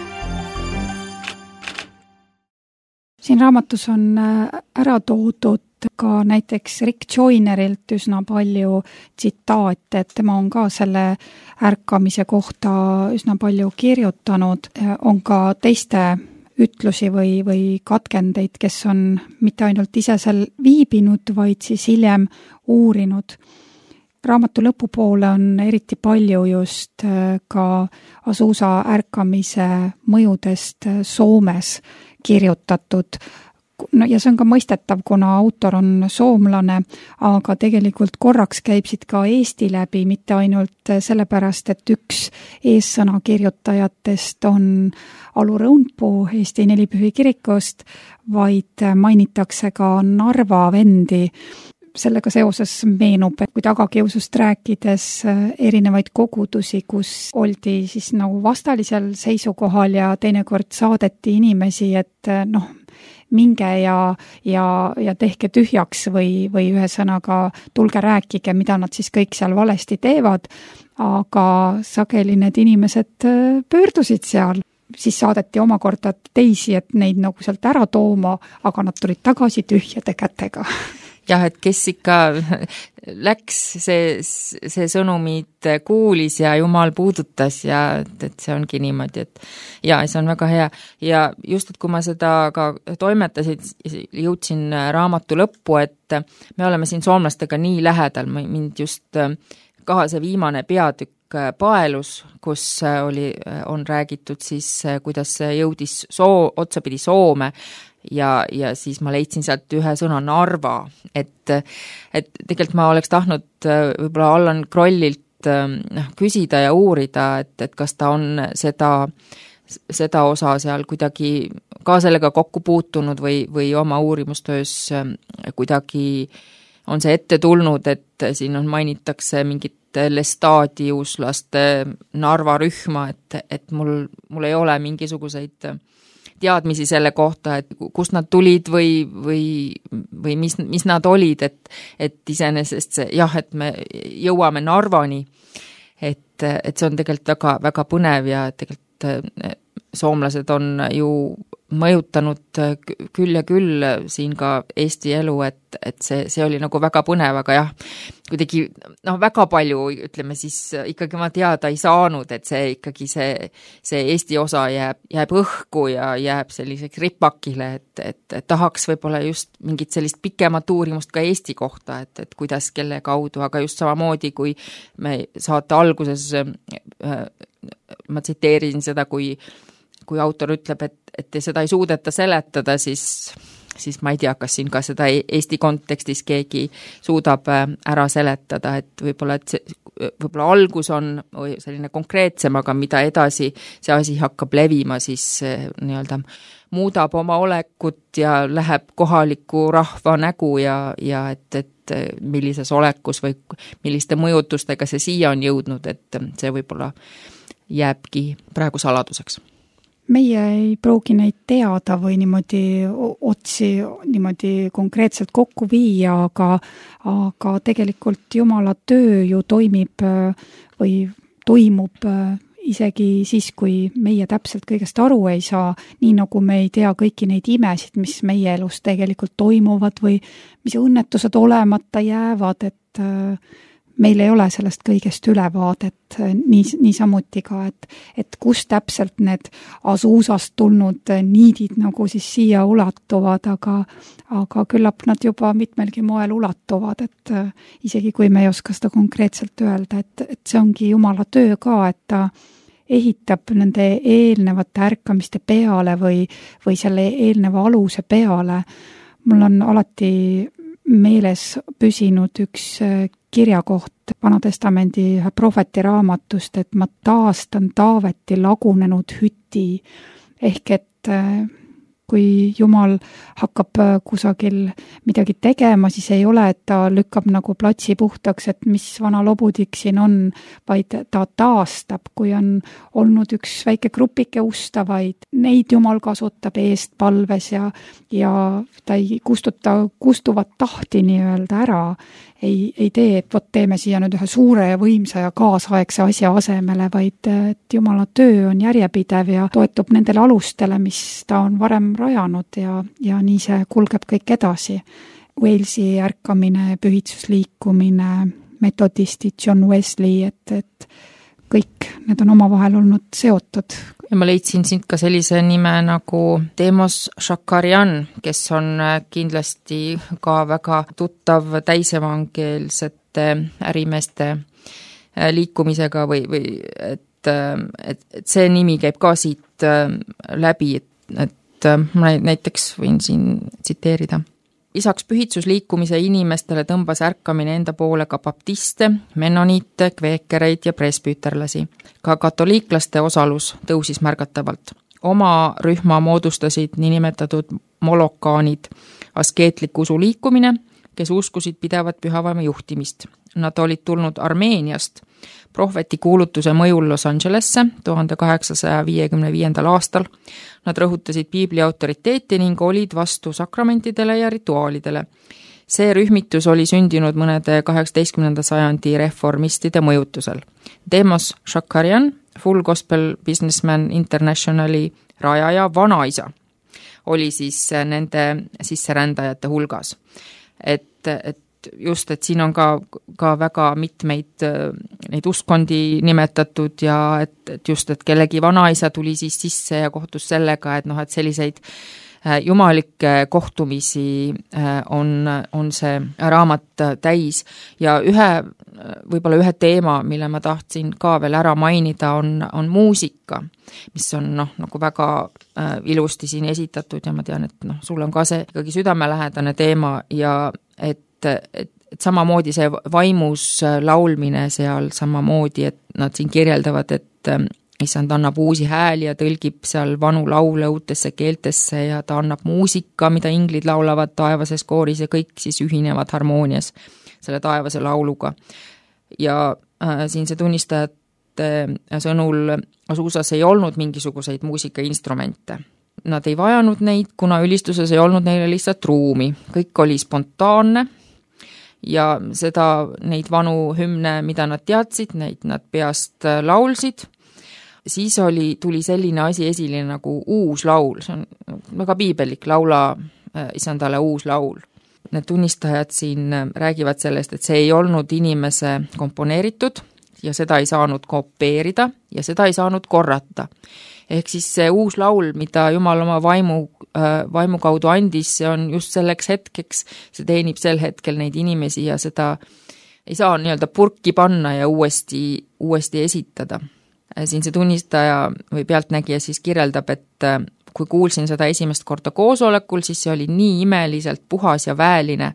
Siin raamatus on ära toodud ka näiteks Rick Joynerilt üsna palju tsitaate, et tema on ka selle ärkamise kohta üsna palju kirjutanud, on ka teiste ütlusi või, või katkendeid, kes on mitte ainult ise seal viibinud, vaid siis hiljem uurinud. raamatu lõpupoole on eriti palju just ka Azusa ärkamise mõjudest Soomes kirjutatud. No ja see on ka mõistetav, kuna autor on soomlane, aga tegelikult korraks käib siit ka Eesti läbi, mitte ainult sellepärast, et üks eessõna kirjutajatest on Alu Rõunpuu Eesti Nelipühi kirikust, vaid mainitakse ka Narva vendi. Sellega seoses meenub, kui tagakiusust rääkides erinevaid kogudusi, kus oldi siis nagu vastalisel seisukohal ja teinekord saadeti inimesi, et noh, minge ja, ja, ja tehke tühjaks või, või ühesõnaga tulge rääkige, mida nad siis kõik seal valesti teevad, aga sageli need inimesed pöördusid seal. Siis saadeti omakorda teisi, et neid nagu sealt ära tooma, aga nad tulid tagasi tühjade kätega. Jah, et kes ikka läks, see, see sõnumid kuulis ja Jumal puudutas ja et see ongi niimoodi, et ja see on väga hea. Ja just, et kui ma seda ka toimetasin, jõudsin raamatu lõppu, et me oleme siin soomlastega nii lähedal, mind just ka see viimane peatükk paelus, kus oli, on räägitud siis, kuidas jõudis soo, otsapidi Soome ja, ja siis ma leidsin sealt ühe sõna Narva, et, et tegelikult ma oleks tahtnud võib-olla Allan Krollilt noh, küsida ja uurida, et, et kas ta on seda, seda osa seal kuidagi ka sellega kokku puutunud või, või oma uurimustöös kuidagi on see ette tulnud, et siin on mainitakse mingit lestadiuslaste Narva rühma, et, et mul, mul ei ole mingisuguseid teadmisi selle kohta, et kust nad tulid või, või, või mis, mis nad olid, et, et iseenesest see, jah, et me jõuame Narvani, et, et see on tegelikult väga, väga põnev ja tegelikult soomlased on ju mõjutanud küll ja küll siin ka Eesti elu, et, et see, see oli nagu väga põnev, aga jah, kuidagi noh, väga palju, ütleme siis ikkagi ma teada ei saanud, et see ikkagi see, see Eesti osa jääb, jääb õhku ja jääb selliseks ripakile, et, et, et tahaks võib-olla just mingit sellist pikemat uurimust ka Eesti kohta, et, et kuidas, kelle kaudu, aga just samamoodi, kui me saate alguses, ma tsiteerin seda, kui kui autor ütleb, et, et seda ei suudeta seletada, siis, siis ma ei tea, kas siin ka seda Eesti kontekstis keegi suudab ära seletada, et võib-olla, et see, võib-olla algus on selline konkreetsem, aga mida edasi see asi hakkab levima, siis nii-öelda muudab oma olekut ja läheb kohaliku rahva nägu ja, ja et, et millises olekus või milliste mõjutustega see siia on jõudnud, et see võib-olla jääbki praegu saladuseks. Meie ei pruugi neid teada või niimoodi otsi niimoodi konkreetselt kokku viia, aga, aga tegelikult Jumala töö ju toimib või toimub isegi siis, kui meie täpselt kõigest aru ei saa, nii nagu me ei tea kõiki neid imesid, mis meie elus tegelikult toimuvad või mis õnnetused olemata jäävad, et meil ei ole sellest kõigest ülevaadet nii, nii samuti ka, et, et kus täpselt need Azusast tulnud niidid nagu siis siia ulatuvad, aga, aga küllap nad juba mitmelgi moel ulatuvad, et isegi kui me ei oska seda konkreetselt öelda, et, et see ongi Jumala töö ka, et ta ehitab nende eelnevate ärkamiste peale või, või selle eelneva aluse peale. Mul on alati meeles püsinud üks kirjakoht Vanatestamendi ühe prohveti raamatust, et ma taastan Taaveti lagunenud hüti, ehk et kui Jumal hakkab kusagil midagi tegema, siis ei ole, et ta lükkab nagu platsi puhtaks, et mis vana lobudik siin on, vaid ta taastab, kui on olnud üks väike grupike ustavaid, neid Jumal kasutab eest palves ja, ja ta ei kustuta kustuvat tahti nii-öelda ära, ei, ei tee, et vot teeme siia nüüd ühe suure ja võimsa ja kaasaegse asja asemele, vaid et Jumala töö on järjepidev ja toetub nendele alustele, mis ta on varem rajanud ja, ja nii see kulgeb kõik edasi. Walesi ärkamine, pühitsusliikumine, metodistid, John Wesley, et, et kõik need on omavahel olnud seotud ja ma leidsin siit ka sellise nime nagu Demos Shakarian, kes on kindlasti ka väga tuttav täisevangeelsete ärimeeste liikumisega või, või et, et, et see nimi käib ka siit läbi, et, et ma näiteks võin siin tsiteerida. Isaks pühitsusliikumise inimestele tõmbas ärkamine enda poole ka baptiste, mennoniite, kveekereid ja presbüüterlasi. Ka katoliiklaste osalus tõusis märgatavalt. Oma rühma moodustasid niinimetatud molokaanid, askeetlik usuliikumine, kes uskusid pidevat pühavaimu juhtimist. Nad olid tulnud Armeeniast prohveti kuulutuse mõjul Los Angelesse tuhande kaheksasaja viiekümne viiendal aastal. Nad rõhutasid piibli autoriteeti ning olid vastu sakramentidele ja rituaalidele. See rühmitus oli sündinud mõnede kaheksateistkümnenda sajandi reformistide mõjutusel. Demos Shakarian, Full Gospel Businessman Internationali rajaja vanaisa, oli siis nende sisserändajate hulgas. Et, et just, et siin on ka, ka väga mitmeid neid uskondi nimetatud ja et, et just, et kellegi vanaisa tuli siis sisse ja kohtus sellega, et noh, et selliseid jumalikke kohtumisi on, on see raamat täis ja ühe, võib-olla ühe teema, mille ma tahtsin ka veel ära mainida, on, on muusika, mis on noh, nagu väga ilusti siin esitatud ja ma tean, et noh, sul on ka see ikkagi südamelähedane teema ja et et, et samamoodi see vaimus laulmine seal samamoodi, et nad siin kirjeldavad, et issand annab uusi hääli ja tõlgib seal vanu laule uutesse keeltesse ja ta annab muusika, mida inglid laulavad taevases kooris ja kõik siis ühinevad harmoonias selle taevase lauluga. Ja äh, siin see tunnistajate sõnul Azuusas ei olnud mingisuguseid muusikainstrumente. Nad ei vajanud neid, kuna ülistuses ei olnud neile lihtsalt ruumi. Kõik oli spontaanne ja seda, neid vanu hümne, mida nad teadsid, neid nad peast laulsid. Siis oli, tuli selline asi esile nagu uus laul, see on väga piibelik, laula isandale uus laul. Need tunnistajad siin räägivad sellest, et see ei olnud inimese komponeeritud ja seda ei saanud kopeerida ja seda ei saanud korrata. Ehk siis see uus laul, mida Jumal oma vaimu, vaimu kaudu andis, see on just selleks hetkeks, see teenib sel hetkel neid inimesi ja seda ei saa nii-öelda purki panna ja uuesti, uuesti esitada. Siin see tunnistaja või pealtnägija siis kirjeldab, et kui kuulsin seda esimest korda koosolekul, siis see oli nii imeliselt puhas ja väeline,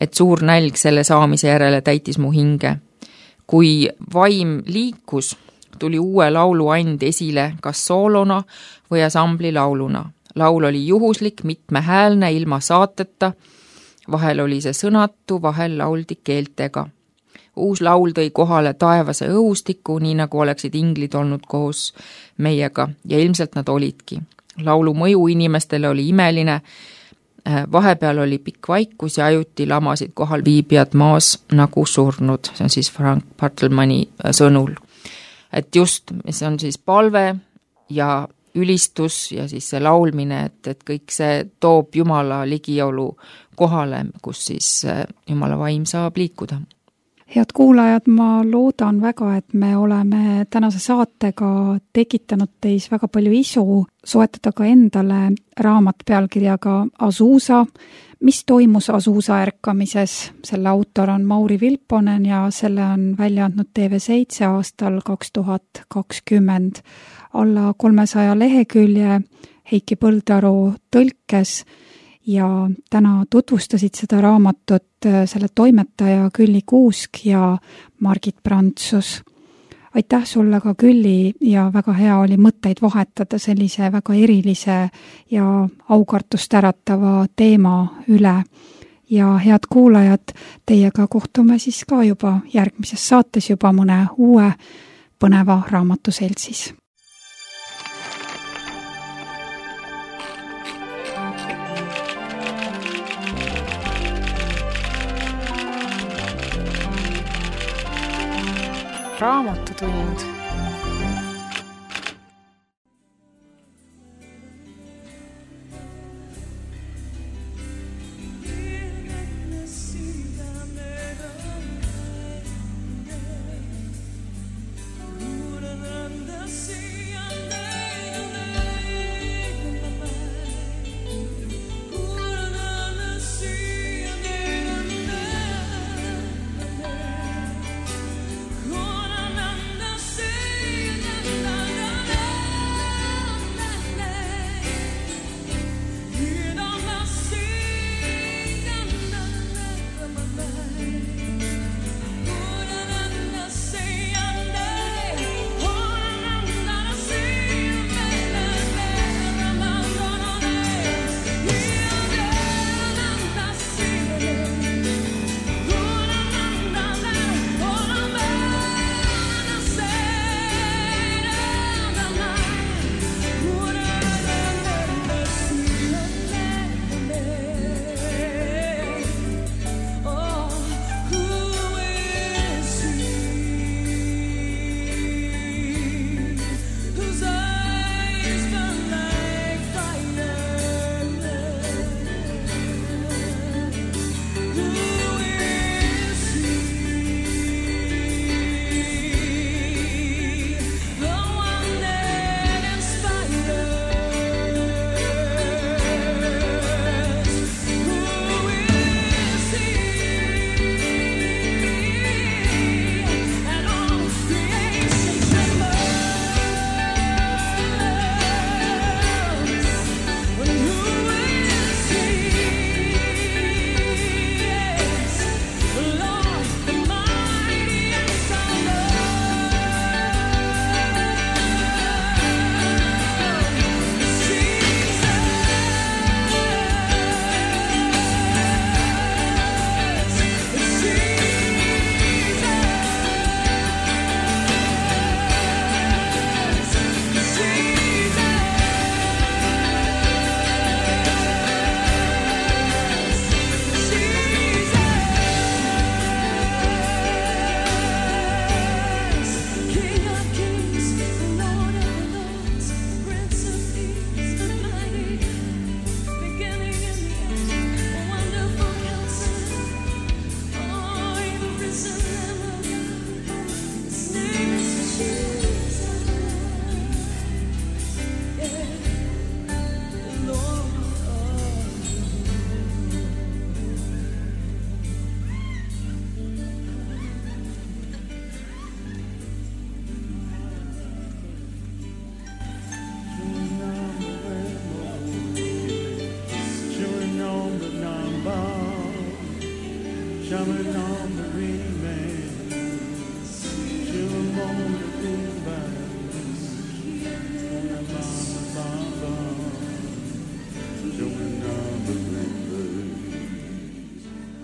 et suur nälg selle saamise järele täitis mu hinge. Kui vaim liikus, tuli uue laulu and esile kas soolona või asambli lauluna. Laul oli juhuslik, mitmehäälne, ilma saateta, vahel oli see sõnatu, vahel lauldi keeltega. Uus laul tõi kohale taevase õhustiku, nii nagu oleksid inglid olnud koos meiega ja ilmselt nad olidki. Laulu mõju inimestele oli imeline, vahepeal oli pikk vaikus ja ajuti lamasid kohal viibijad maas nagu surnud, see on siis Frank Bartlemani sõnul. Et just, see on siis palve ja ülistus ja siis see laulmine, et, et kõik see toob Jumala ligiolu kohale, kus siis Jumala vaim saab liikuda. Head kuulajad, ma loodan väga, et me oleme tänase saatega tekitanud teis väga palju isu, soetada ka endale raamat pealkirjaga Azuusa, mis toimus Azuusa ärkamises. Selle autor on Mauri Vilponen ja selle on välja andnud T V seitse aastal kaks tuhat kakskümmend. Alla kolmesaja lehekülje Heiki Põldaru tõlkes ja täna tutvustasid seda raamatut selle toimetaja Külli Kuusk ja Margit Prantsus. Aitäh sulle ka, Külli, ja väga hea oli mõtteid vahetada sellise väga erilise ja aukartust äratava teema üle. Ja head kuulajad, teiega kohtume siis ka juba järgmises saates juba mõne uue põneva raamatu seltsis. Raamatutund. Coming on the green man, chewing on the green vine, chewing on the bonbon, chewing on the green vine,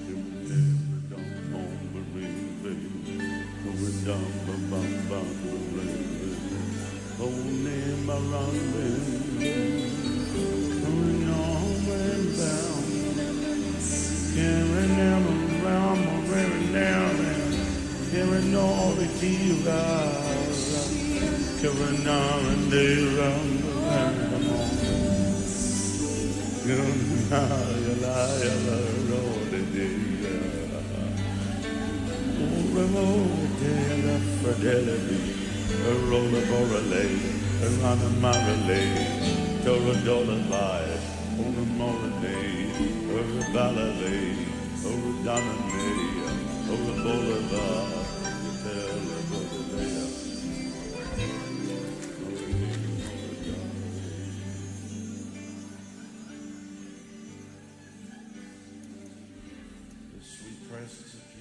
chewing on the green vine, chewing on the bonbon, holding my running, going on and down, carrying them around, carrying down and carrying all the divas, carrying on and they run around. You're not a liar, all the day. Oh, remote day of fidelity, a roller for a lay, a run a marley, dollar dollar life, on a morning, or a ballet, or a diamond, or a boulevard, tell a boulevard. The sweet presence of